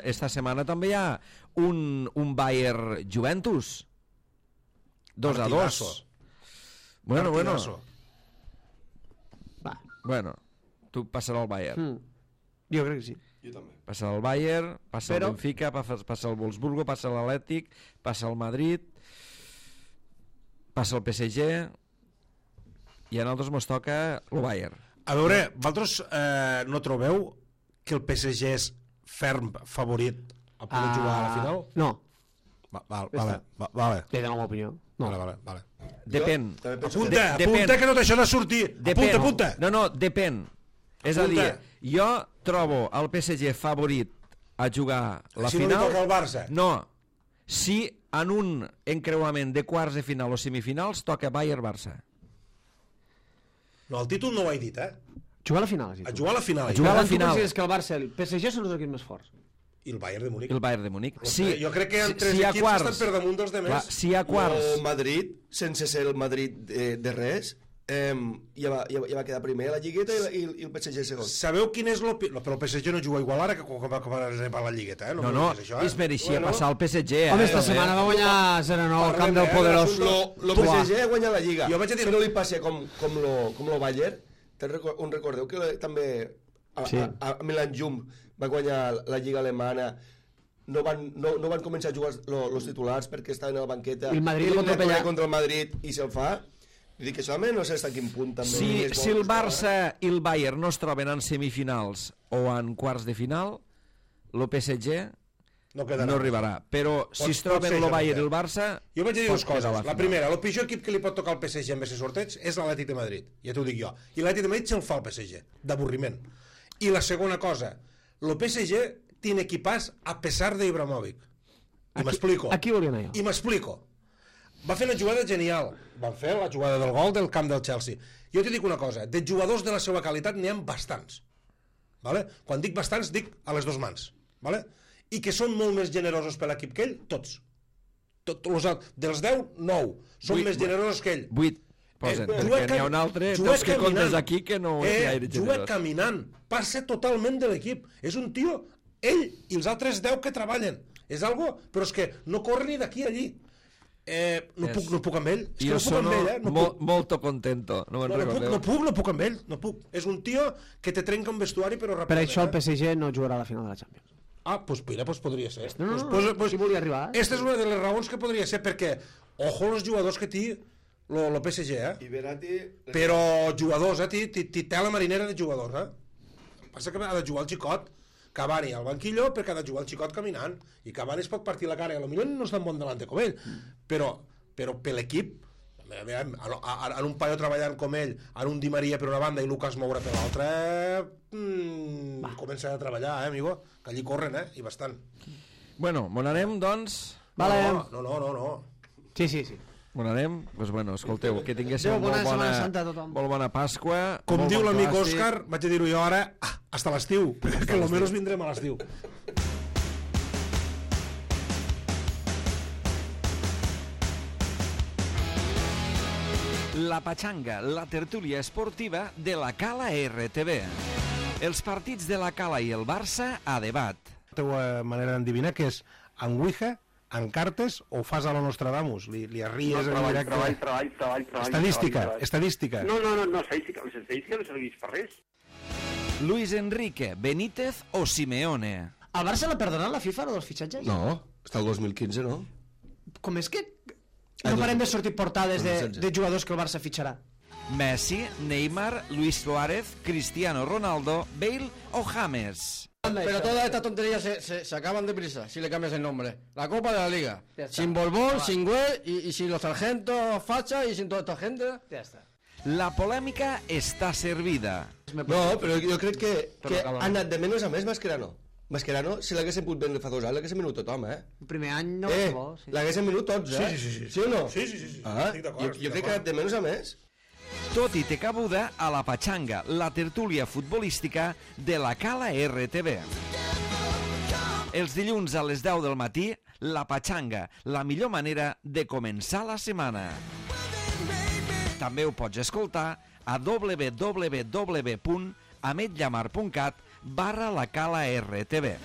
esta setmana també hi ha un Bayern Juventus 2-2. Bueno, tu passarà al Bayern. Jo crec que sí. Jo també. Passa el Bayern, passa el Benfica, passa el Wolfsburgo, passa l'Atlètic, passa el Madrid, passa el PSG i a nosaltres mos toca el Bayern. A veure, vosaltres no trobeu que el PSG és ferm favorit a poder jugar a la final? No. Vale. Té de la meva opinió. No. Vale. Depèn. Apunta que no t'això de sortir. Apunta. No, depèn. És a dir, jo trobo el PSG favorit a jugar la final... Si no li toca al Barça? No. Si en un encreuament de quarts de final o semifinals toca Bayern-Barça. No, el títol no ho he dit, Jugar a la final. A jugar a la final. Jugar a la final. Tu consideres que el Barça i el PSG són els equips més forts? I el Bayern de Múnich. El Bayern de Múnich. Sí, jo crec que hi ha 3 equips que estan per damunt dels demés. Si hi ha quarts... El Madrid, sense ser el Madrid de res, ja va quedar primer a la Lligueta i el PSG segon. Sabeu quin és l'opinió? Però el PSG no juga igual ara que quan va a la Lligueta, No, es mereixia passar al PSG. Home, esta setmana va guanyar 0-9 al camp del poderós. El PSG ha guanyat la Lliga. Que no li passi com lo Bayern. Un recordeu que també a Milan Jum va guanyar la Lliga Alemana, no van començar a jugar els titulars perquè estaven a la banqueta i el Madrid contra el Madrid i se'l fa. Vull dir que això no sé fins a quin punt també si el Barça i el Bayern no es troben en semifinals o en quarts de final, el PSG no arribarà, però si es troben el Bayern i el Barça... Jo vaig dir dues coses. La primera, el pitjor equip que li pot tocar al PSG en aquest sorteig és l'Atlètic de Madrid, ja t'ho dic jo, i l'Atlètic de Madrid se'l fa al PSG, d'avorriment. I la segona cosa, el PSG tiene equipàs a pesar de Ibrahimovic, i m'explico. Aquí volia anar jo. I m'explico. Va fer una jugada genial, van fer la jugada del gol del camp del Chelsea. Jo t'hi dic una cosa, de jugadors de la seva qualitat n'hi ha bastants, vale? Quan dic bastants dic a les dues mans, vale? I que són molt més generosos per l'equip que ell, tots. Dels 10, 9. Són més generosos que ell. 8, posen, perquè n'hi ha un altre, dels que comptes aquí, que no és gaire generós. Juga caminant, passa totalment de l'equip. És un tio, ell i els altres 10 que treballen. És algo, però és que no corre ni d'aquí a allí. No puc amb ell. Jo sono molto contento. No puc amb ell. No puc. És un tio que te trenca un vestuari, però ràpidament. Per això el PSG no jugarà a la final de la Champions. Pues mira, podria ser. Si volia arribar. Esta és una de les raons que podria ser, perquè ojo els jugadors que té el PSG, però jugadors, té la marinera de jugadors, Passa que ha de jugar el xicot Cavani al banquillo perquè ha de jugar el xicot caminant, i Cavani es pot partir la cara, i potser no és tan bon delante com ell, però per l'equip, en un paio treballant com ell, en un Di Maria per una banda i Lucas Moura per l'altra, comença a treballar, amigo, que allí corren, i bastant. Bueno, m'on anem, doncs? Vale. No. Sí. On anem? Doncs bueno, escolteu, que tinguéssiu Adéu, bona molt Setmana Santa a tothom. molt bona Pasqua. Com molt diu bon l'amic clàssic. Òscar, vaig a dir-ho jo ara, hasta l'estiu, que almenys vindrem a l'estiu. La Pachanga, la tertúlia esportiva de la Cala RTV. Els partits de la Cala i el Barça a debat. La teva manera d'endevinar que és en Ouija, en cartes o fas a la Nostradamus? Li arries en directe? Treball. Estadística. No, estadística no serveix per res. Luis Enrique, Benítez o Simeone. Al Barça l'ha perdonat la FIFA, lo dels fitxatges? No, està el 2015, no? Com és que no parem de sortir portades de jugadors que el Barça fitxarà? Messi, Neymar, Luis Suárez, Cristiano Ronaldo, Bale o James. Pero todas estas tonterías se acaban deprisa si le cambias el nombre. La Copa de la Liga. Ya está. Sin Borbón, sin Güell y sin los sargentos Facha y sin toda esta gente. Ja està. La polèmica està servida. No, però jo crec que ha anat de menys a més Mascherano. Mascherano, si l'haguessin pogut vendre fa 2 anys, l'haguessin venut tothom, El primer any no va bo, sí. L'haguessin venut tots, Sí. Sí o no? Sí. Ah, Estic d'acord, jo crec que ha anat de menys a més. Tot i té cabuda a la Pachanga, la tertúlia futbolística de la Cala RTV. Els dilluns a les 10 del matí, la Pachanga, la millor manera de començar la setmana. També ho pots escoltar a www.ametllamar.cat/la Cala RTV.